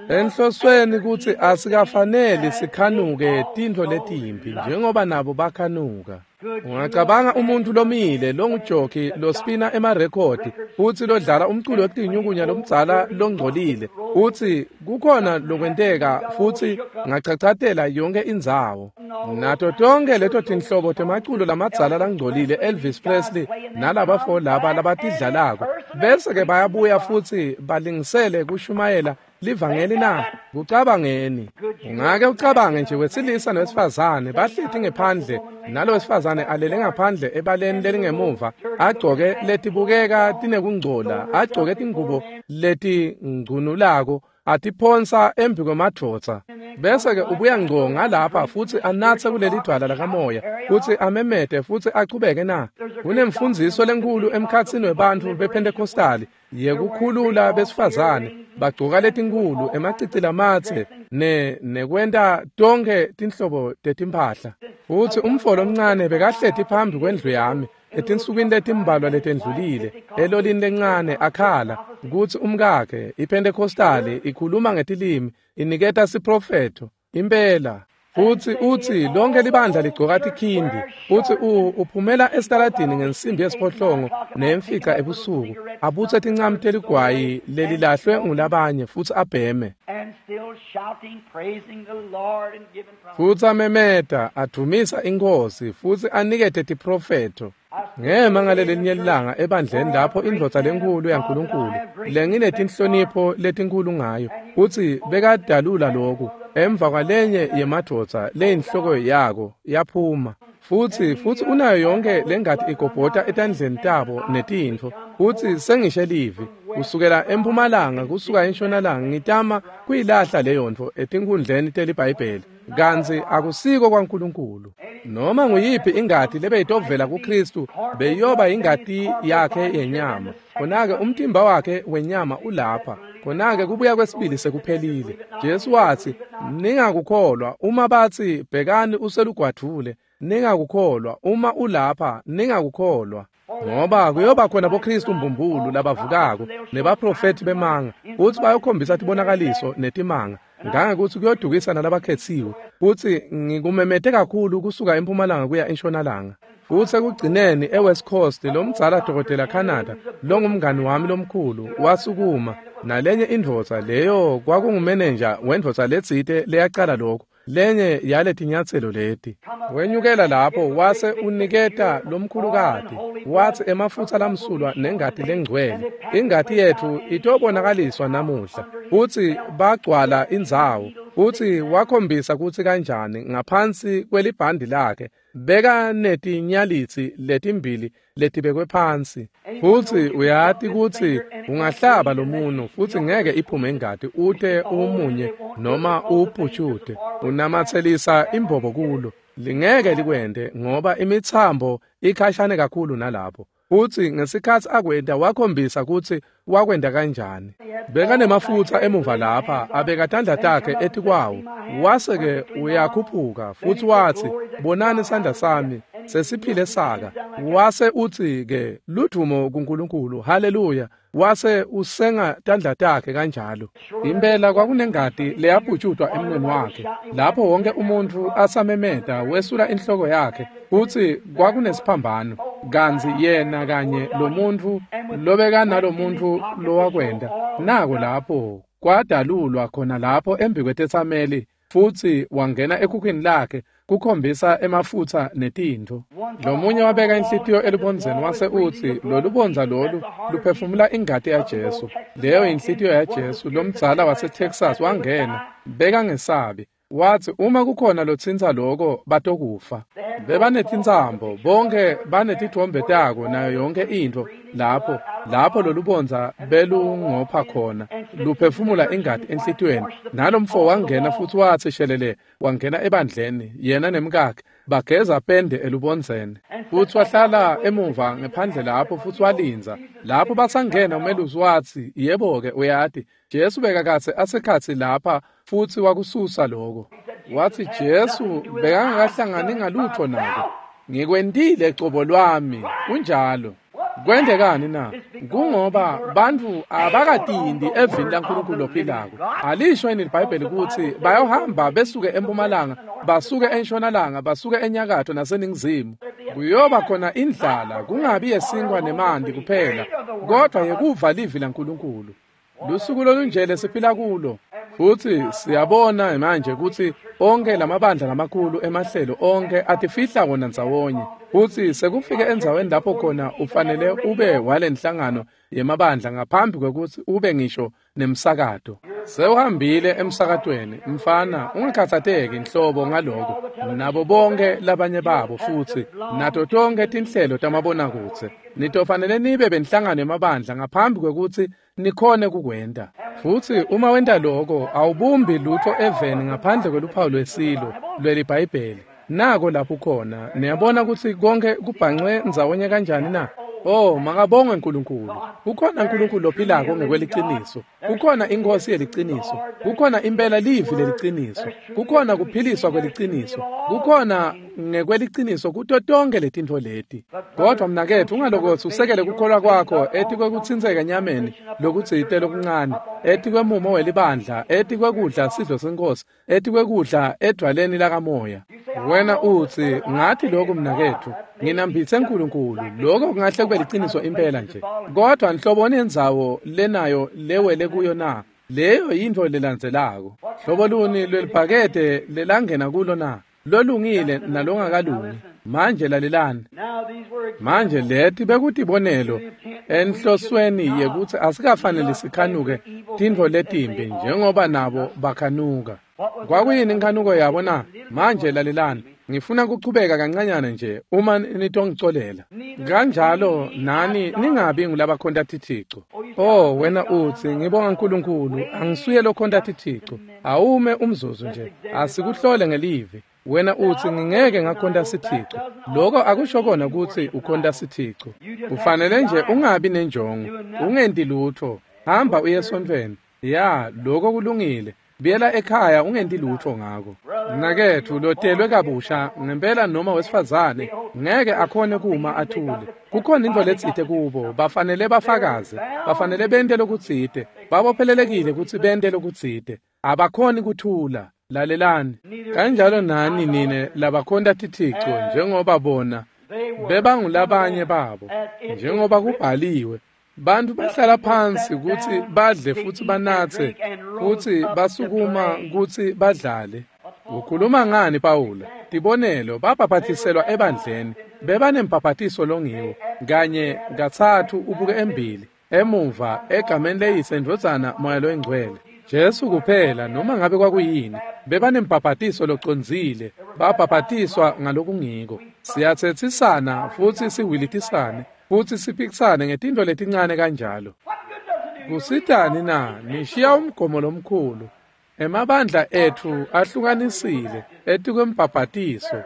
Speaker 1: Enhlosweni kutsi asikafaneli sikhanuke tintfo letimbi njengoba nabo bakhanuka. Ungacabanga umuntu lomile longujoki lospina emarekhodi futsi lodlala umculo wekutinyukunya lomdzala longcolile, utsi kukhona lokwenteka futsi ngachachatela yonke indzawo. Nato tonke leto tinhlobo temaculo lamadzala langcolile, Elvis Presley nalabafo laba labatidlalako, bese ke bayabuya futsi balingisele kushumayela livangeli na? Kucabangeni. Ungake ucabange nje wesilisa nowesifazane bahleti ngephandle, nalo wesifazane alele ngaphandle ebaleni lelingemuva, agcoke letibukeka tinekungcola, agcoke tingubo letingcunulako, atiphonsa embi kwemadvodza, bese ke ubuya ngco ngalapha futsi anatse kuleli dvwala lakamoya futsi amemete futsi achubeke na? Kunemfundziso lenkhulu emkhatsini webantfu bePentecostali yekukhulula besifazane, bagcoka letinkhulu, emacici lamatse ne nekwenta tonke tinhlobo tetimphahla. Futsi umfo lomncane bekahleti phambi kwendlu yami etinsukwini letimbalwa letendlulile, elolini lencane, akhala kutsi umkakhe iPentecostali ikhuluma ngetilimi, iniketa siprofetho impela. Futsi utsi lonke libandla ligcoka tikhindi, futsi uphumela esitaladini ngensimbi yesiphohlongo nemfica ebusuku, abutse tincamu teligwayi lelilahlwe ngulabanye futsi abheme. Futsi amemeta, advumisa iNkhosi futsi anikete tiprofetho. Ngema ngalelinye ilanga ebandleni lapho indvodza lenkhulu yaNkulunkulu lenginetinhlonipho letinkhulu ngayo, futsi bekadalula lokhu emva kwalenye yemadvodza leyinhloko yako yaphuma, futsi futsi unayo yonke lengati igobhota etandleni tabo netintfo, futsi sengishe livi kusukela empumalanga kusuka entshonalanga, ngitama kuyilahla leyontfo etinkhundleni teliBhayibheli, kantsi akusiko kwaNkulunkulu. Noma nguyiphi ingati lebeyitovela kuKristu beyoba ingati yakhe yenyama. Khona-ke umtimba wakhe wenyama ulapha. Khona-ke kubuya kwesibili sekuphelile. Jesu watsi, ningakukholwa uma batsi bhekani uselugwadvule, ningakukholwa uma ulapha, ningakukholwa. Ngoba kuyoba khona boKristu mbumbulu labavukako nebaprofethi bemanga, futsi bayokhombisa tibonakaliso netimanga, ngangekutsi kuyodukisa nalabakhetsiwe. Futsi ngikumemete kakhulu kusuka empumalanga kuya entshonalanga. Futsi ekugcineni eWest Coast lomdzala dokotela Canada longumngani wami lomkhulu wasukuma nalenye indvodza, leyo kwakungumenenja wendvodza letsite leyacala lokho, lenye yaletinyatselo leti. Wenyukela lapho wase uniketa lomkhulukati, watsi emafutsa lamsulwa nengati lengcwele, ingati yetfu itobonakaliswa namuhla. Futsi bagcwala indzawo, futsi wakhombisa kutsi kanjani ngaphansi kwelibhandi lakhe beka netinyalitsi letimbili letibekwe phansi. Futsi uyati kutsi ungahlaba lomuno futsi ngeke iphume ingati ute umunye noma uputshute, unamatselisa imbobo kulo, lingeke likwente ngoba imitsambo ikhashane kakhulu nalapho. Futsi ngesikhatsi akwenta wakhombisa kutsi wakwenta kanjani. Bekanemafutsa emuva lapha, abeka tandla takhe etikwawo. Wase-ke uyakhuphuka futsi watsi, bonani sandla sami, sesiphile saka. Wase utsi-ke, ludvumo kuNkulunkulu, haleluya. Wase usenga tandla takhe kanjalo. Impela kwakunengati leyabhutjutwa emnweni wakhe. Lapho wonke umuntfu asamemeta wesula inhloko yakhe futsi kwakunesiphambano. Kantsi yena kanye lomuntfu lobekanalomuntfu lowakwenta nako lapho kwadalulwa khona lapho embikwetetsameli futsi wangena ekhukhwini lakhe kukhombisa emafutsa netintfo. Lomunye wabeka inhlitiyo elubondzeni wase utsi lolubondza lolu luphefumula ingati yaJesu. Leyo inhlitiyo yaJesu. Lomdzala waseTexas wangena bekangesabi. Watsi uma kukhona lotsintsa loko batokufa. Bebanetintsambo bonke banetithombe tako nayo yonke intfo lapho lapho lolubondza belungopha khona luphefumula ingati enhlitiyweni. Nalomfo wangena futsi watsi shelele wangena ebandleni yena nemkakhe bageza pende elubondzeni futsi wahlala emuva ngephandle lapho futsi walindza. Lapho basangena umelusi watsi yebo-ke uyati Jesu bekakatse asekhatsi lapha futsi wakususa loko. Watsi Jesu bekangakahlangani ngalutho nako. Ngikwentile cobo lwami. Kunjalo. Kwentekani na? Kungoba bantfu abakatindi evini laNkulunkulu lophilako. Alisho yini iBhayibheli kutsi bayohamba besuke empumalanga, basuke entshonalanga, basuke enyakatho naseningizimu. Kuyoba khona indlala, kungabi yesinkwa nemanti kuphela, kodvwa yekuva livi laNkulunkulu. Lusuku lolunje lesiphila kulo. Futsi siyabona manje kutsi onke lamabandla lamakhulu emahlelo onke atifihla wona ndzawonye. Futsi sekufike endzaweni lapho khona ufanele ube walenhlangano yemabandla ngaphambi kwekutsi ube ngisho nemsakato. Sewuhambile emsakatweni, mfana, ungakhatsateki inhlobo ngaloko. Nabo bonke labanye babo futsi nato tonke tinhlelo tamabonakudze. Nitofanele nibe benhlangano yemabandla ngaphambi kwekutsi nikhone kukwenta. Futsi uma wenta loko awubumbi lutho eveni ngaphandle kweluphawu lwesilo lweliBhayibheli. Nako lapho khona niyabona kutsi konke kubhancwe ndzawonye kanjani na? Oh, makabongwe uNkulunkulu. Kukhona uNkulunkulu lophilako ngekweliciniso. Kukhona inkosi yeliciniso. Kukhona impela livi leliciniso. Kukhona kuphiliswa kweliciniso. Kukhona ngekweliciniso kuto tonke letintfo leti. Kodwa mnaketfu ungalokotsi usekele kukholwa kwakho etikwekutsintseka enyameni lokutsite lokuncane, etikwemumo welibandla, etikwekudla sidlo senkosi, etikwekudla edvwaleni lakamoya. Wena utsi ngathi lokhu mnaketfu nginambitse uNkulunkulu. Lokho kungahle kube liciniso impela nje. Kodwa nhloboni yendzawo lenayo lewele kuyo na? Leyo yintfo lelandzelako. Hlobo luni lwelibhakede lelangena kulo na? Lolungile nalongakalungi. Manje lalelani. Manje leti bekutibonelo enhlosweni yekutsi asikafanele sikhanuke tintfo letimbi njengoba nabo bakhanuka. Kwakuyini inkhanuko yabo na? Manje lalelani. Ngifuna kuchubeka kancanyana nje uma nitongicolela. Kanjalo nani ningabi ngulabakhonta tithixo. Oh wena utsi ngibonga uNkulunkulu angisuye lokhonta tithixo. Awume umzuzu nje asikuhlole ngelivi. Wena utsi ngingeke ngakhonta sithixo. Lokho akusho kona kutsi ukhonta sithixo. Ufanele nje ungabi nenjongo, ungenti lutho. Hamba uye esontfweni. Ya, lokho kulungile. Buyela ekhaya ungenti lutho ngako. Mnaketfu lotelwe kabusha ngempela noma wesifazane ngeke akhone kuma athule. Kukhona intfo letsite kubo, bafanele bafakaze, bafanele bente lokutsite, babophelelekile kutsi bente lokutsite. Abakhoni kuthula. Lalelani. Kanjalo nani nine labakhonta tithixo njengoba bona bebangulabanye babo, njengoba kubhaliwe. Bantu bahlala phansi kutsi badle futsi banatse futsi basukuma kutsi badlale. Ukhuluma ngani Pawula? Tibonelo babhaphathiselwa ebandleni, bebanembhaphathiso longiwo kanye katsatfu ubuke embili emuva egameni leyise ndvodzana moya loyingcwele. Jesu kuphela noma ngabe kwakuyini bebanembhaphathiso locondzile, babhaphathiswa ngalokungiko. Siyatsethisana futsi siwilitisane futsi siphikisane ngetintfo letincane kanjalo. Kusitani na? Nishiya umgomo lomkhulu. Emabandla etfu ahlukanisile etikwembhaphathiso.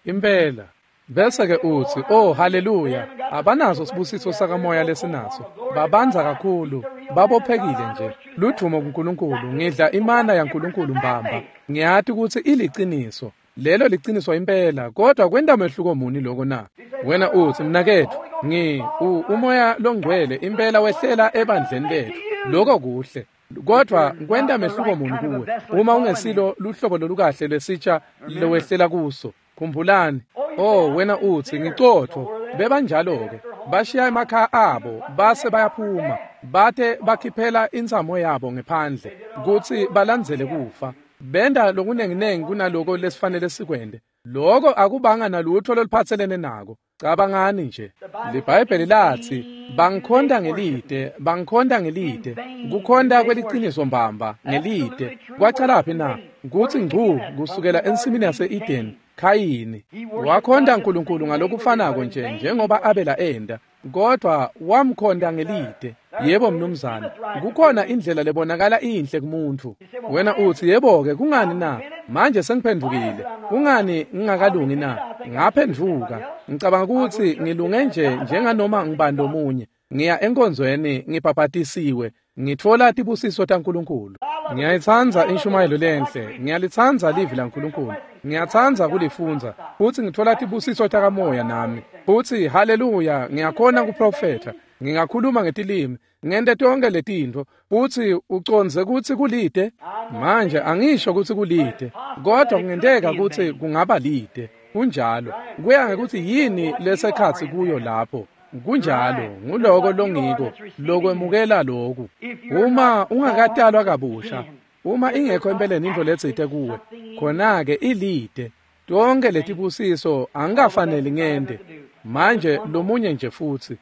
Speaker 1: Impela. Bese-ke utsi, oh haleluya, abanaso sibusiso sakamoya lesinaso. Babanza kakhulu, babophekile nje. Ludvumo kuNkulunkulu, ngidla imana yaNkulunkulu mbamba. Ngiyati kutsi iliciniso. Lelo liciniso impela, kodwa kwenta mehluko muni loko na? Wena utsi, mnaketfu, ngi u, umoya longcwele impela wehlela ebandleni letfu. Loko kuhle. Kodwa kwenta mehluko muni kuwe uma ungesilo luhlobo lolukahle lwesitsha lowehlela kuso? Khumbulani. Oh, wena utsi, ngicotfo. Bebanjalo-ke. Bashiya emakhaya abo, base bayaphuma. Bate bakhiphela intsamo yabo ngephandle, kutsi balandzele kufa. Benda lokunenginengi kunaloko lesifanele sikwente. Loko akubanga nalutho loluphatselene nako. Cabangani nje. LiBhayibheli latsi, bangikhonta ngelide, bangikhonta ngelide. Kukhonta kweliciniso mbamba ngelide. Kwacalaphi na? Kutsi ngcu kusukela ensimini yase-Eden, Khayini wakhonta uNkulunkulu ngalokufanako nje njengoba Abela enda, kodwa wamkhonta ngelide. Yebo mnumzane, kukhona indlela lebonakala inhle kumuntu. Wena utsi, yebo-ke, kungani na? Manje sengiphendvukile. Kungani ngingakalungi na? Ngaphendvuka. Ngicabanga kutsi ngilunge nje njenganoma ngibani lomunye. Ngiya enkonzweni, ngibhabhatisiwe, ngitfola tibusiso taNkulunkulu. Ngiyayitsandza inshumayelo lenhle, ngiyalitsandza livi laNkulunkulu. Ngiyatsandza kulifundza, futsi ngitfola tibusiso takamoya nami. Futsi haleluya, ngiyakhona kuprofetha, ngingakhuluma ngetilimi, ngente tonke letintfo, futsi ucondze kutsi kulide? Manje angisho kutsi kulide, kodwa kungenteka kutsi kungaba lide. Kunjalo, kuya ngekutsi yini lesekhatsi kuyo lapho. Kunjalo, nguloko longiko, lokwemukela loku. Uma ungakatalwa kabusha, uma ingekho empeleni intfo letsite kuwe, khona-ke ilide. Tonke letibusiso angikafaneli ngente. Manje lomunye nje futsi.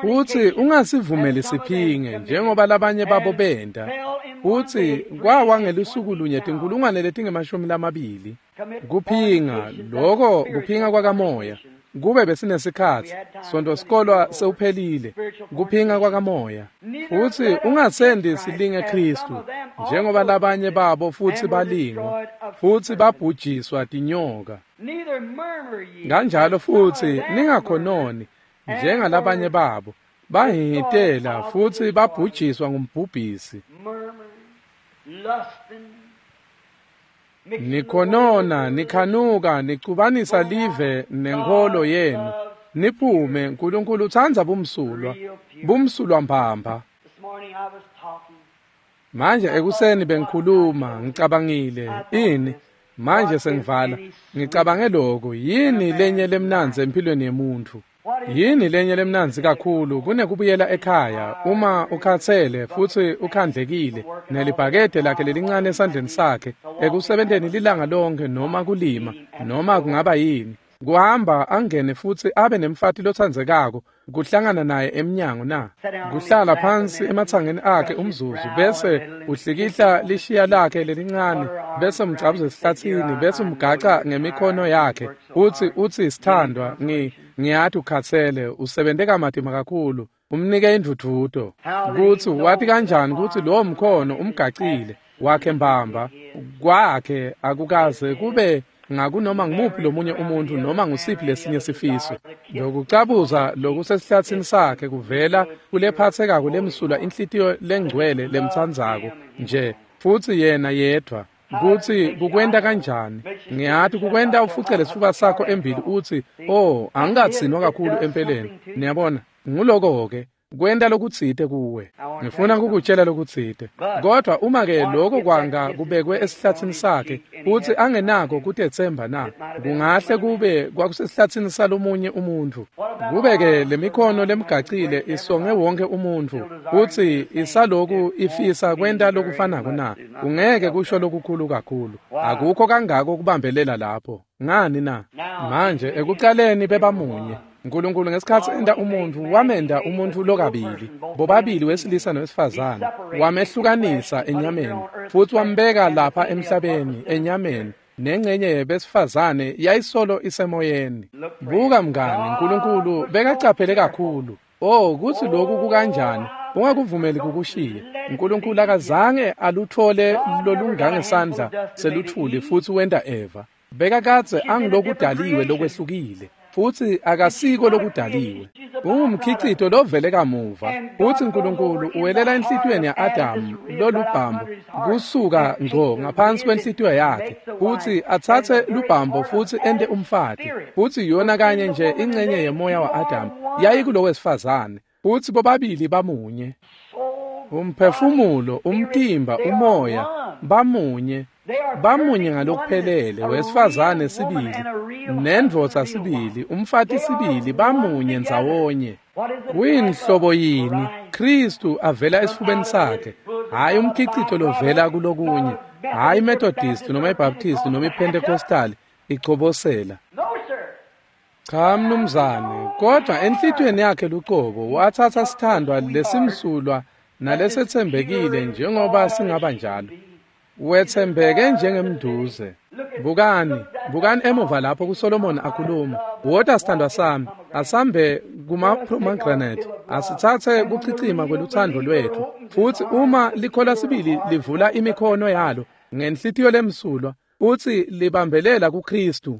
Speaker 1: Futsi ungasivumeli siphinge njengoba labanye babo benta. Futsi kwawa ngelusuku lunye tinkulungwane letingemashumi lamabili. Kuphinga, loko kuphinga kwakamoya. Kube besinesikhatsi, sonto sikolwa sewuphelile. Kuphinga kwakamoya. Futsi ungasendi silinge Khristu njengoba labanye babo futsi balingwa, futsi babhujiswa tinyoka. Kanjalo futsi ningakhononi njengalabanye babo, bahihitela futsi babhujiswa ngumbhubhisi. Nikhonona, nikhanuka, nicubanisa live nenkholo yenu. Niphume, Nkulunkulu utsandza bumsulwa, bumsulwa mbamba. Manje ekuseni bengikhuluma, ngicabangile, ini? Manje sengivala, ngicabange lokhu, yini lenye lemnandzi empilweni yemuntfu? Yini lenye lemnandzi kakhulu kunekubuyela ekhaya uma ukhatsele futsi ukhandlekile nelibhakede lakhe lelincane esandleni sakhe ekusebenteni lilanga lonke noma kulima noma kungaba yini, kuhamba angene futsi abe nemfati lotsandzekako kuhlangana naye emnyango na? Kuhlala phansi ematsangeni akhe umzuzu bese uhlikihla lishiya lakhe lelincane bese umcabuza esihlathini bese umgaca ngemikhono yakhe utsi utsi sithandwa, ngi ngiyati ukhatsele, usebente kamatima kakhulu, umnike indvudvuto. Kutsi wati kanjani kutsi lowo mkhono umgacile wakhe mbamba kwakhe akukaze kube ngakunoma ngumuphi lomunye umuntu noma ngusiphi lesinye sifiso. Lokucabuza lokusesihlathini sakhe kuvela kulephathekako lemsulwa inhlitiyo lengcwele lemtsandzako nje futsi yena yedvwa. Kutsi kukwenta kanjani? Ngiyati kukwenta ufucele sifuba sakho embili utsi, oh, angikatsinwa kakhulu empeleni. Niyabona, nguloko-ke kwenta lokutsite kuwe. Ngifuna kukutshela lokutsite. Kodwa uma-ke loko kwanga kubekwe esihlathini sakhe futsi angenako kutetsemba na, kungahle kube kwakusesihlathini salomunye umuntfu. Kube-ke lemikhono lemgacile isonge wonke umuntfu futsi isaloku ifisa kwenta lokufanako na, kungeke kusho lokukhulu kakhulu. Akukho kangako kubambelela lapho. Ngani na? Manje ekucaleni bebamunye. Nkulunkulu ngesikhatsi enta umuntfu wamenta umuntfu lokabili, bobabili wesilisa nowesifazane, wamehlukanisa enyameni futsi wambeka lapha emhlabeni enyameni, nengcenye yebesifazane yayisolo isemoyeni. Buka mngani, Nkulunkulu bekacaphele kakhulu. Oh, kutsi lokhu kukanjani? Ungakuvumeli kukushiye. Nkulunkulu akazange aluthole lolungangesandla seluthuli futsi wenta Eva. Bekakadze angilokudaliwe lokwehlukile, futsi akasiko lokudaliwe. Ungumkhicito lovele kamuva, futsi Nkulunkulu uwelela enhlitiyweni ya-Adamu lolubhambo kusuka ngco ngaphansi kwenhlitiyo yakhe, futsi atsatse lubhambo futsi ente umfati, futsi yona kanye nje incenye yemoya wa-Adamu yayikulowesifazane, futsi bobabili bamunye. Umphefumulo, umtimba, umoya bamunye, bamunye ngalokuphelele, wesifazane sibili nendvodza sibili, umfati sibili, bamunye ndzawonye. Kuyinhlobo yini Kristu avela esifubeni sakhe, hhayi umkhicito lovela kulokunye, hhayi iMethodist noma iBaptist noma iPentecostal ichobosela. Cha mnumzane, kodwa enhlitiyweni yakhe lucobo watsatsa sithandwa lesimsulwa nalesetsembekile njengoba singaba njalo. Wetsembeke njengemduze. Bukani, bukani emuva lapho kuSolomon akhuluma. Wota sithandwa sami, asambe kuma-pomegranate, asitsatse kuchichima kweluthando lwethu. Futsi uma likhola sibili livula imikhono yalo ngenhlitiyo lemsulwa, futsi libambelela kuKristu.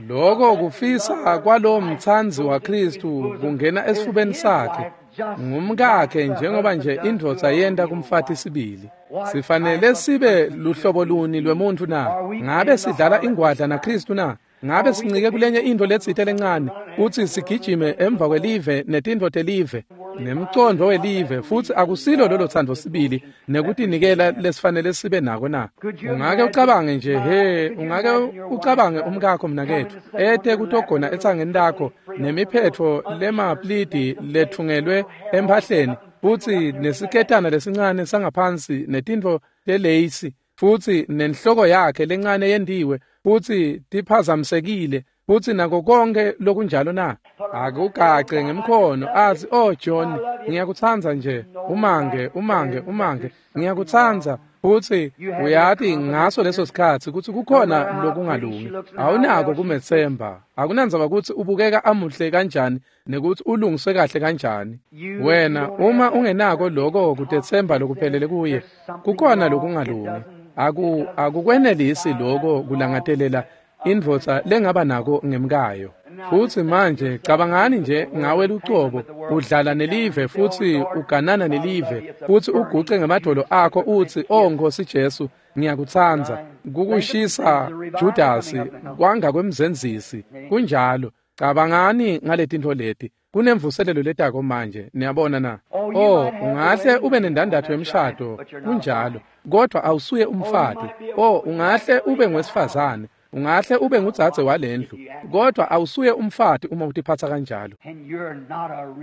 Speaker 1: Loko kufisa kwalowo mtsandzi waKristu kungena esifubeni sakhe, ngumkakhe njengoba nje indvodza yenta kumfati sibili. Sifanele sibe luhlobo luni lwemuntfu na? Ngabe sidlala ingwadla naKristu na? Ngabe sincike kulenye intfo letsite lencane, futsi sigijime emva kwelive netintfo telive nemcondvo welive, futsi akusilo lolo thando sibili nekutinikela lesifanele sibe nako na? Ungake ucabange nje, he, ungake ucabange umkakho mnaketfu ete kutogona etsangeni lakho nemiphetfo lemaplidi lethungelwe emphahleni, futsi nesiketana lesincane sangaphansi netintfo teleyisi, futsi nenhloko yakhe lencane yendiwe, futsi tiphazamisekile, futsi nako konke lokunjalo na? Akugace ngemkhono athi, oh John, ngiyakutsandza nje, umange, umange, umange, ngiyakutsandza. Futsi uyati ngaso leso sikhatsi kutsi kukhona lokungalungi. Awunako kumethemba. Akunandzaba kutsi ubukeka amuhle kanjani nekutsi ulungiswe kahle kanjani. Wena uma ungenako loko kutethemba lokuphelele kuye, kukhona lokungalungi. Aku akukwenelisi loko kulangatelela indvodza lengaba nako ngemkayo. Futsi manje cabangani nje ngawe lucobo, udlala nelive futsi uganana nelive, futsi uguce ngemadvolo akho utsi, oh Nkosi Jesu, ngiyakutsandza. Kukushisa Judasi kwanga kwemzenzisi. Kunjalo. Cabangani ngaletintfo leti. Kunemvuselelo letako manje, niyabona na? Oh, ungahle ube nendandatho yemshado, kunjalo, kodwa awusuye umfati. Oh, ungahle ube ngwesifazane, ungahle ube ngudzadze walendlu, kodwa awusuye umfati uma utiphatsa kanjalo.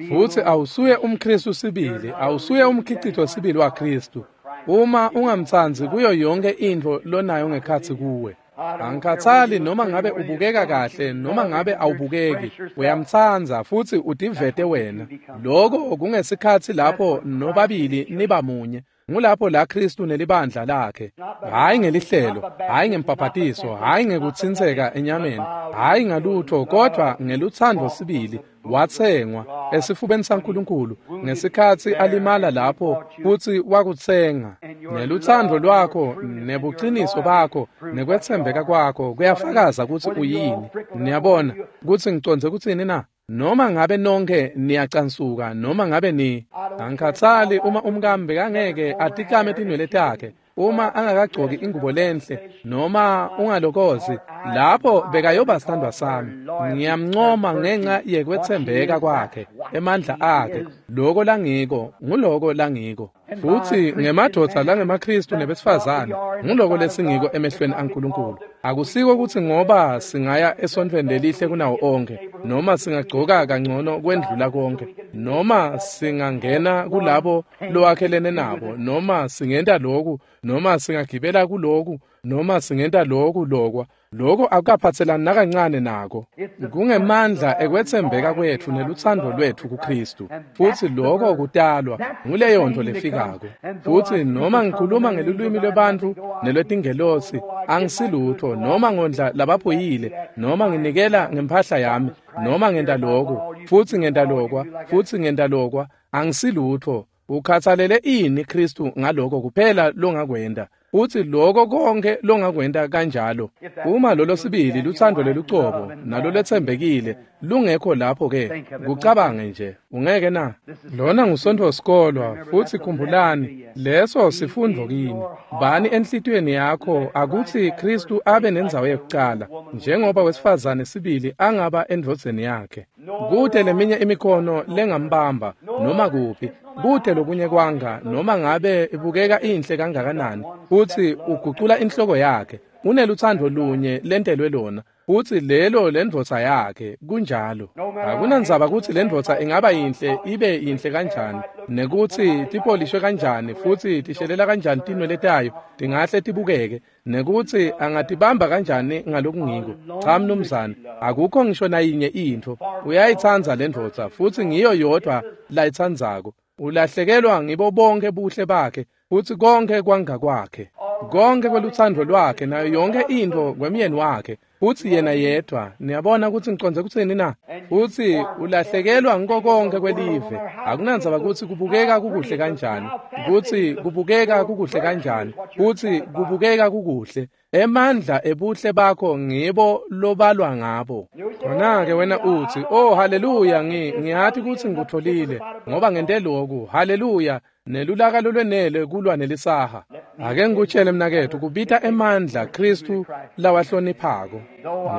Speaker 1: Futsi awusuye umKristu sibili, awusuye umkhicito sibili waKristu uma ungamtsandzi kuyo yonke intfo lonayo ngekhatsi kuwe. Angikhathali noma ngabe ubukeka kahle noma ngabe awubukeki, uyamtsandza futsi utivete wena. Loko kungesikhatsi lapho nobabili niba munye. Ngulapho la Kristu nelibandla lakhe, hhayi ngelihlelo, hhayi ngembhabhatiso, hhayi ngekutsintseka enyameni, hhayi ngalutho, kodwa ngelutsandvo sibili watsengwa esifubeni saNkulunkulu ngesikhatsi alimala lapho futsi wakutsenga. Nelutsandvo lwakho nebuciniso bakho nekwetsembeka kwakho kuyafakaza kutsi uyini. Niyabona kutsi ngicondze kutsini na? Noma ngabe nonke niyacansuka, noma ngabe ni angikhathali uma umkami bekangeke atikame tinwele takhe, uma angakagcoki ingubo lenhle, noma ungalokozi, lapho bekayoba sithandwa sami. Ngiyamncoma ngenxa yekwetsembeka kwakhe, emandla akhe, loko langiko, nguloko langiko. Futsi ngemadvodza langemaKristu nebesifazane, nguloko lesingiko emehlweni aNkulunkulu. Akusiko kutsi ngoba singaya esontfweni lelihle kunawo onkhe, noma singagcoka kangcono kwendlula konke, noma singangena kulabo lowakhelene nabo, noma singenta loku, noma singagibela kuloku, noma singenta loku lokwa. Loko akukaphatselani nakancane nako. Kungemandla ekwetsembeka kwetfu nelutsandvo lwetfu kuKristu. Futsi loko kutalwa nguleyo nto lefikako. Futsi noma ngikhuluma ngelulwimi lwebantfu nelwetingelosi, angisilutho, noma ngondla labaphuyile, noma nginikela ngemphahla yami, noma ngenta loku, futsi ngenta lokwa, futsi ngenta lokwa, angisilutho. Ukhathalele ini Kristu ngaloko kuphela longakwenta? Futsi loko konke longakwenta kanjalo. Uma lolo sibili lutsandvo lelucobo nalo letsembekile lungekho lapho ke, kucabange nje, ungeke na? Lona ngusontfo sikolwa, futsi khumbulani, leso sifundvo kini. Bani enhlitiyweni yakho akutsi Khristu abe nendzawo yekucala, njengoba wesifazane sibili angaba endvodzeni yakhe. Kute leminye imikhono lengambamba noma kuphi, kute lokunye kwanga noma ngabe ibukeka inhle kangakanani, futsi ugucula inhloko yakhe. Unelutsandvo lunye lentelwe lona, futsi lelo lendvodza yakhe. Kunjalo. Akunandzaba kutsi lendvodza ingaba yinhle ibe yinhle kanjani, nekutsi tipolishwe kanjani futsi tishelela kanjani tinwele tayo tingahle tibukeke, nekutsi angatibamba kanjani ngalokungiko. Cha mnumzane, akukho ngisho nayinye intfo. Uyayitsandza lendvodza futsi ngiyo yodwa layitsandzako. Ulahlekelwa ngibo bonke buhle bakhe futsi konke kwanga kwakhe, konke kwelutsandvo lwakhe nayo yonke intfo kwemyeni wakhe, futsi yena yedwa. Niyabona kutsi ngicondze kutsini na? Futsi ulahlekelwa ngiko konke kwelive. Akunandzaba kutsi kubukeka kukuhle kanjani, kutsi kubukeka kukuhle kanjani, kutsi kubukeka kukuhle. Emandla ebuhle bakho ngibo lobalwa ngabo. Khona-ke wena utsi, oh haleluya, ngi ngiyati kutsi ngikutfolile ngoba ngente loku, haleluya, nelulaka lolwenele kulwa nelisaha. Ake ngikutshele mnaketfu, kubita emandla Khristu lawahloniphako.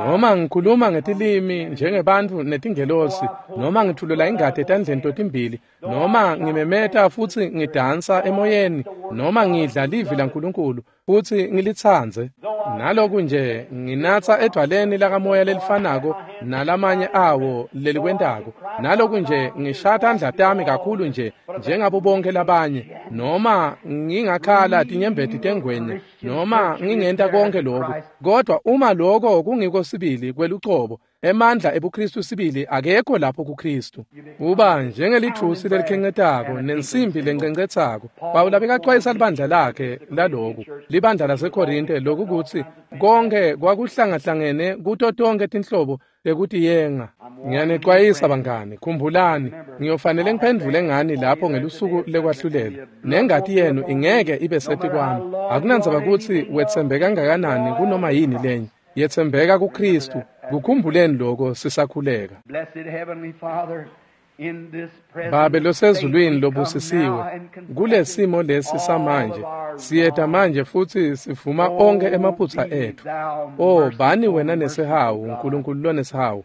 Speaker 1: Noma ngikhuluma ngetilimi njengebantfu netingelosi, noma ngithulula ingati etandleni totimbili, noma ngimemeta futsi ngidansa emoyeni, noma ngidla livi laNkulunkulu futsi ngilitsandze, naloku nje nginatsa edvwaleni lakamoya lelifanako nalamanye awo lelikwentako, naloku nje ngishaya tandla tami kakhulu nje njengabo bonke labanye, noma ngingakhala tinyembeti tengwenya, noma ngingenta konke loku, kodwa uma loko kungiko sibili kwelucobo, emandla ebuKristu sibili akekho lapho kuKristu. Uba njengelithusi lelikhencetako nensimbi lencencetsako. Pawula bekacwayisa libandla lakhe laloku, libandla laseKorinte, loku kutsi konke kwakuhlangahlangene kuto tonke tinhlobo tekutiyenga. Ngiyanecwayisa bangani, khumbulani, ngiyofanele ngiphendvule ngani lapho ngelusuku lekwahlulela. Nengati yenu ingeke ibe setikwami. Akunandzaba kutsi wetsembeka kangakanani kunoma yini lenye, yetsembeka kuKristu. Kukhumbuleni loko sisakhuleka. Babe losezulwini lobusisiwe, kulesimo lesi samanje siyeta manje futsi sivuma onkhe emaphutsa etfu. Oh, bani wena nesihawu, Nkulunkulu lonesihawu,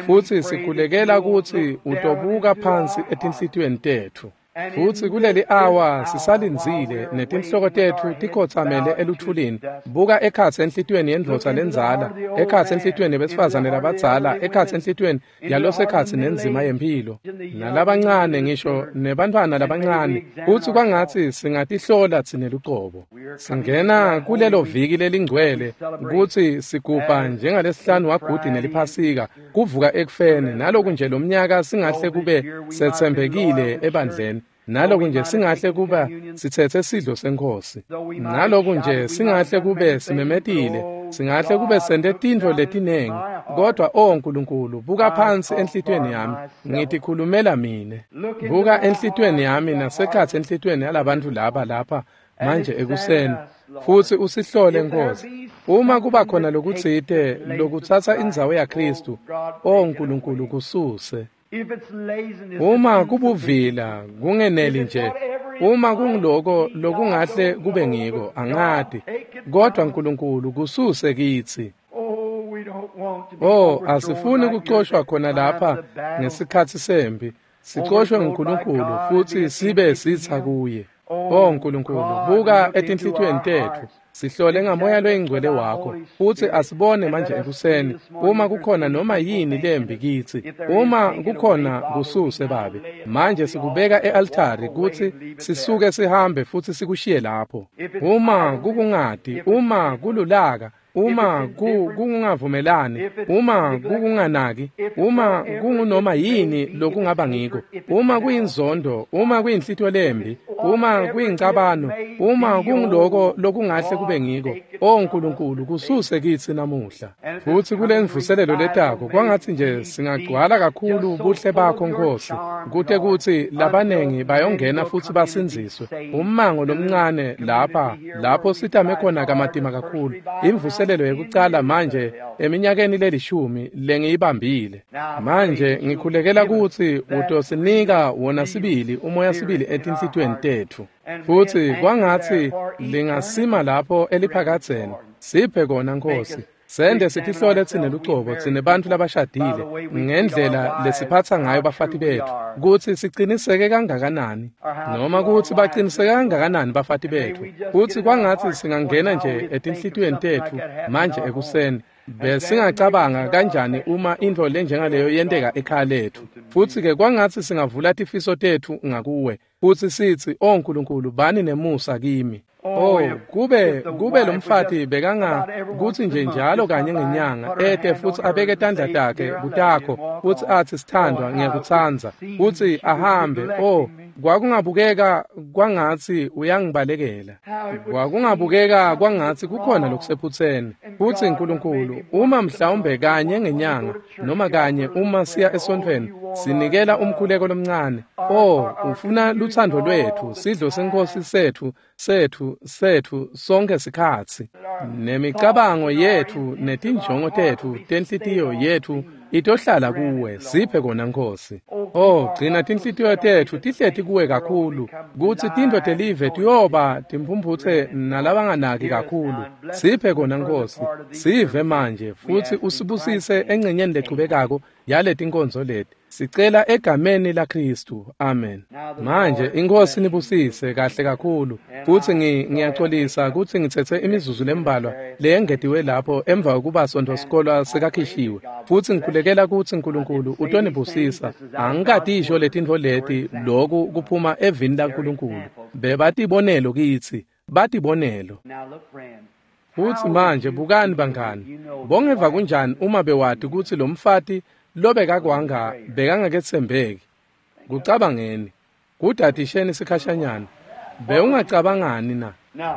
Speaker 1: futsi sikhulekela kutsi utobuka phansi etinhlitiyweni tetfu. Futsi kuleli awa sisalindzile netinhloko tetfu tikhotsamele eluthulini. Buka ekhatsi enhlitiyweni yendvodza lendzala, ekhatsi enhlitiyweni yebesifazane labadzala, ekhatsi enhlitiyweni yalosekhatsi nenzima yemphilo, nalabancane ngisho nebantfwana labancane, futsi kwangatsi singatihlola tsine lucobo. Singena kulelo viki lelingcwele kutsi sigubha njengalesihlanu wagudi neliphasika, kuvuka ekufeni, naloku nje lomnyaka singahle kube setsembekile ebandleni. Naloku nje singahle kuba sithethe sidlo seNkhosi, naloku nje singahle kube simemetile, singahle kube sente tintfo letinengi, kodwa o Nkulunkulu, buka phansi enhlitiyweni yami, ngitikhulumela mine. Buka enhlitiyweni yami nasekhatsi enhlitiyweni yalabantfu laba lapha manje ekuseni, futsi usihlole Nkosi. Uma kuba khona lokutsite lokutsatsa indzawo yaKristu, o Nkulunkulu, kususe. Uma kubuvila kungeneli nje, uma kungiloko lokungahle kube ngiko, angati, kodwa Nkulunkulu kususe kitsi. Oh, asifuni kucoshwa khona lapha ngesikhatsi sempi, sicoshwe nguNkulunkulu futsi sibe sitsa kuye. Oh Nkulunkulu, buka etinhlitiyweni tetfu, sihlole ngamoya loyingcwele wakho, futsi asibone manje ekuseni uma kukhona noma yini lembi kitsi. Uma kukhona kususe Babe. Manje sikubeka e-altari kutsi sisuke sihambe futsi sikushiye lapho. Uma kukungati, uma kululaka, uma kungavumelani, uma kukunganaki, uma kungunoma yini lokungaba ngiko, uma kuyinzondo, uma kuyinhlitho lembi, uma kuyincabano, uma kunguloko lokungahle kube ngiko, o Nkulunkulu kususe kitsi namuhla. Futsi kulemvuselelo letako kwangatsi nje singagcwala kakhulu buhle bakho Nkosi, kute kutsi labanengi bayongena futsi basindziswe. Ummango lomncane lapha lapho sitame khona kamatima kakhulu, imvuselelo yekucala manje eminyakeni lelishumi lengiyibambile. Manje ngikhulekela kutsi utosinika wona sibili umoya sibili etinhlitiyweni tetfu, futsi kwangatsi lingasima lapho eliphakadzeni. Siphe kona Nkosi. Sende sitihlole tsine lucobo tsine bantfu labashadile ngendlela lesiphatsa ngayo bafati betfu, kutsi siciniseke kangakanani noma kutsi baciniseke kangakanani bafati betfu, kutsi kwangatsi singangena nje etinhlitiyweni tetfu manje ekuseni. Besingacabanga kanjani uma intfo lenjengaleyo yenteka ekhaya letfu? Futsi-ke kwangatsi singavula tifiso tetfu ngakuwe futsi sitsi, o Nkulunkulu, bani nemusa kimi. Oh, kube kube lomfati bekanga kutsi nje njalo kanye ngenyanga ete futsi abeke tandla takhe kutakho futsi atsi, sithandwa, ngiyakutsandza, futsi ahambe. Oh, kwakungabukeka kwangatsi uyangibalekela, kwakungabukeka kwangatsi kukhona lokusephutseni. Futsi Nkulunkulu, uma mhlawumbe kanye ngenyanga noma kanye uma siya esontfweni sinikela umkhuleko lomncane, oh, ufuna lutsandvo lwetfu, sidlo seNkhosi setfu setfu setfu sonke sikhatsi, nemicabango yetfu netinjongo tetfu tenhlitiyo yetfu itohlala kuwe. Siphe kona Nkosi. Oh, gcina tinhlitiyo tetfu tihleti kuwe kakhulu, kutsi tintfo telive tiyoba timphumphutse nalabanganaki kakhulu. Siphe kona Nkosi. Sive manje futsi usibusise engcenyeni lechubekako yaletinkonzo leti. Sicela egameni laKristu. Amen. Manje iNkosi nibusise kahle kakhulu. Futsi ngiyaxolisa kutsi ngitsetse imizuzu lembalwa leyengetiwe lapho emva kokuba sontfo sikolwa sekakhishiwe. Futsi ngikhulekela kutsi Nkulunkulu utonibusisa. Angikatisho letintfo leti, loku kuphuma evini laNkulunkulu. Bebatibonelo kitsi, batibonelo. Futsi manje bukani bangani, bongeva kunjani uma bewati kutsi lomfati lobekakwanga bekangaketsembeki? Kucabangeni, kudadisheni sikhashanyana. Bewungacabangani na?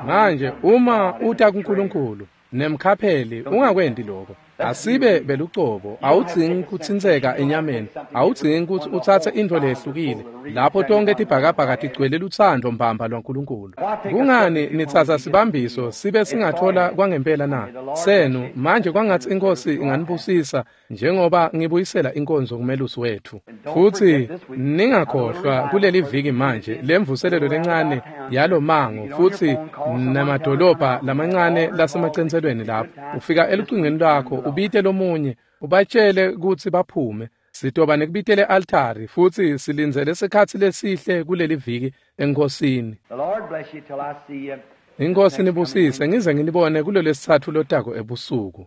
Speaker 1: Manje uma uta kuNkulunkulu nemkhapheli, ungakwendi lokho. Asibe belucobo, awudzingi kutsintseka enyameni, awudzingi kutsi utsatse intfo lehlukile lapho tonke tibhakabhaka tigcwele lutsandvo mbamba lwaNkulunkulu. Kungani nitsatsa sibambiso sibe singathola kwangempela na? Senu manje kwangatsi iNkosi inganibusisa njengoba ngibuyisela inkonzo kumelusi wetfu. Futsi ningakhohlwa kuleli viki manje lemvuselelo lencane yalomango futsi namadolobha lamancane lasemacentselweni lapho. Ufika elucingweni lwakho ubite lomunye, ubatshele kutsi baphume. Sitoba nekubitele altari futsi silindzele sikhatsi lesihle kuleli viki eNkosini. Inkosi nibusise ngize nginibone kulolesitsatfu lotako ebusuku.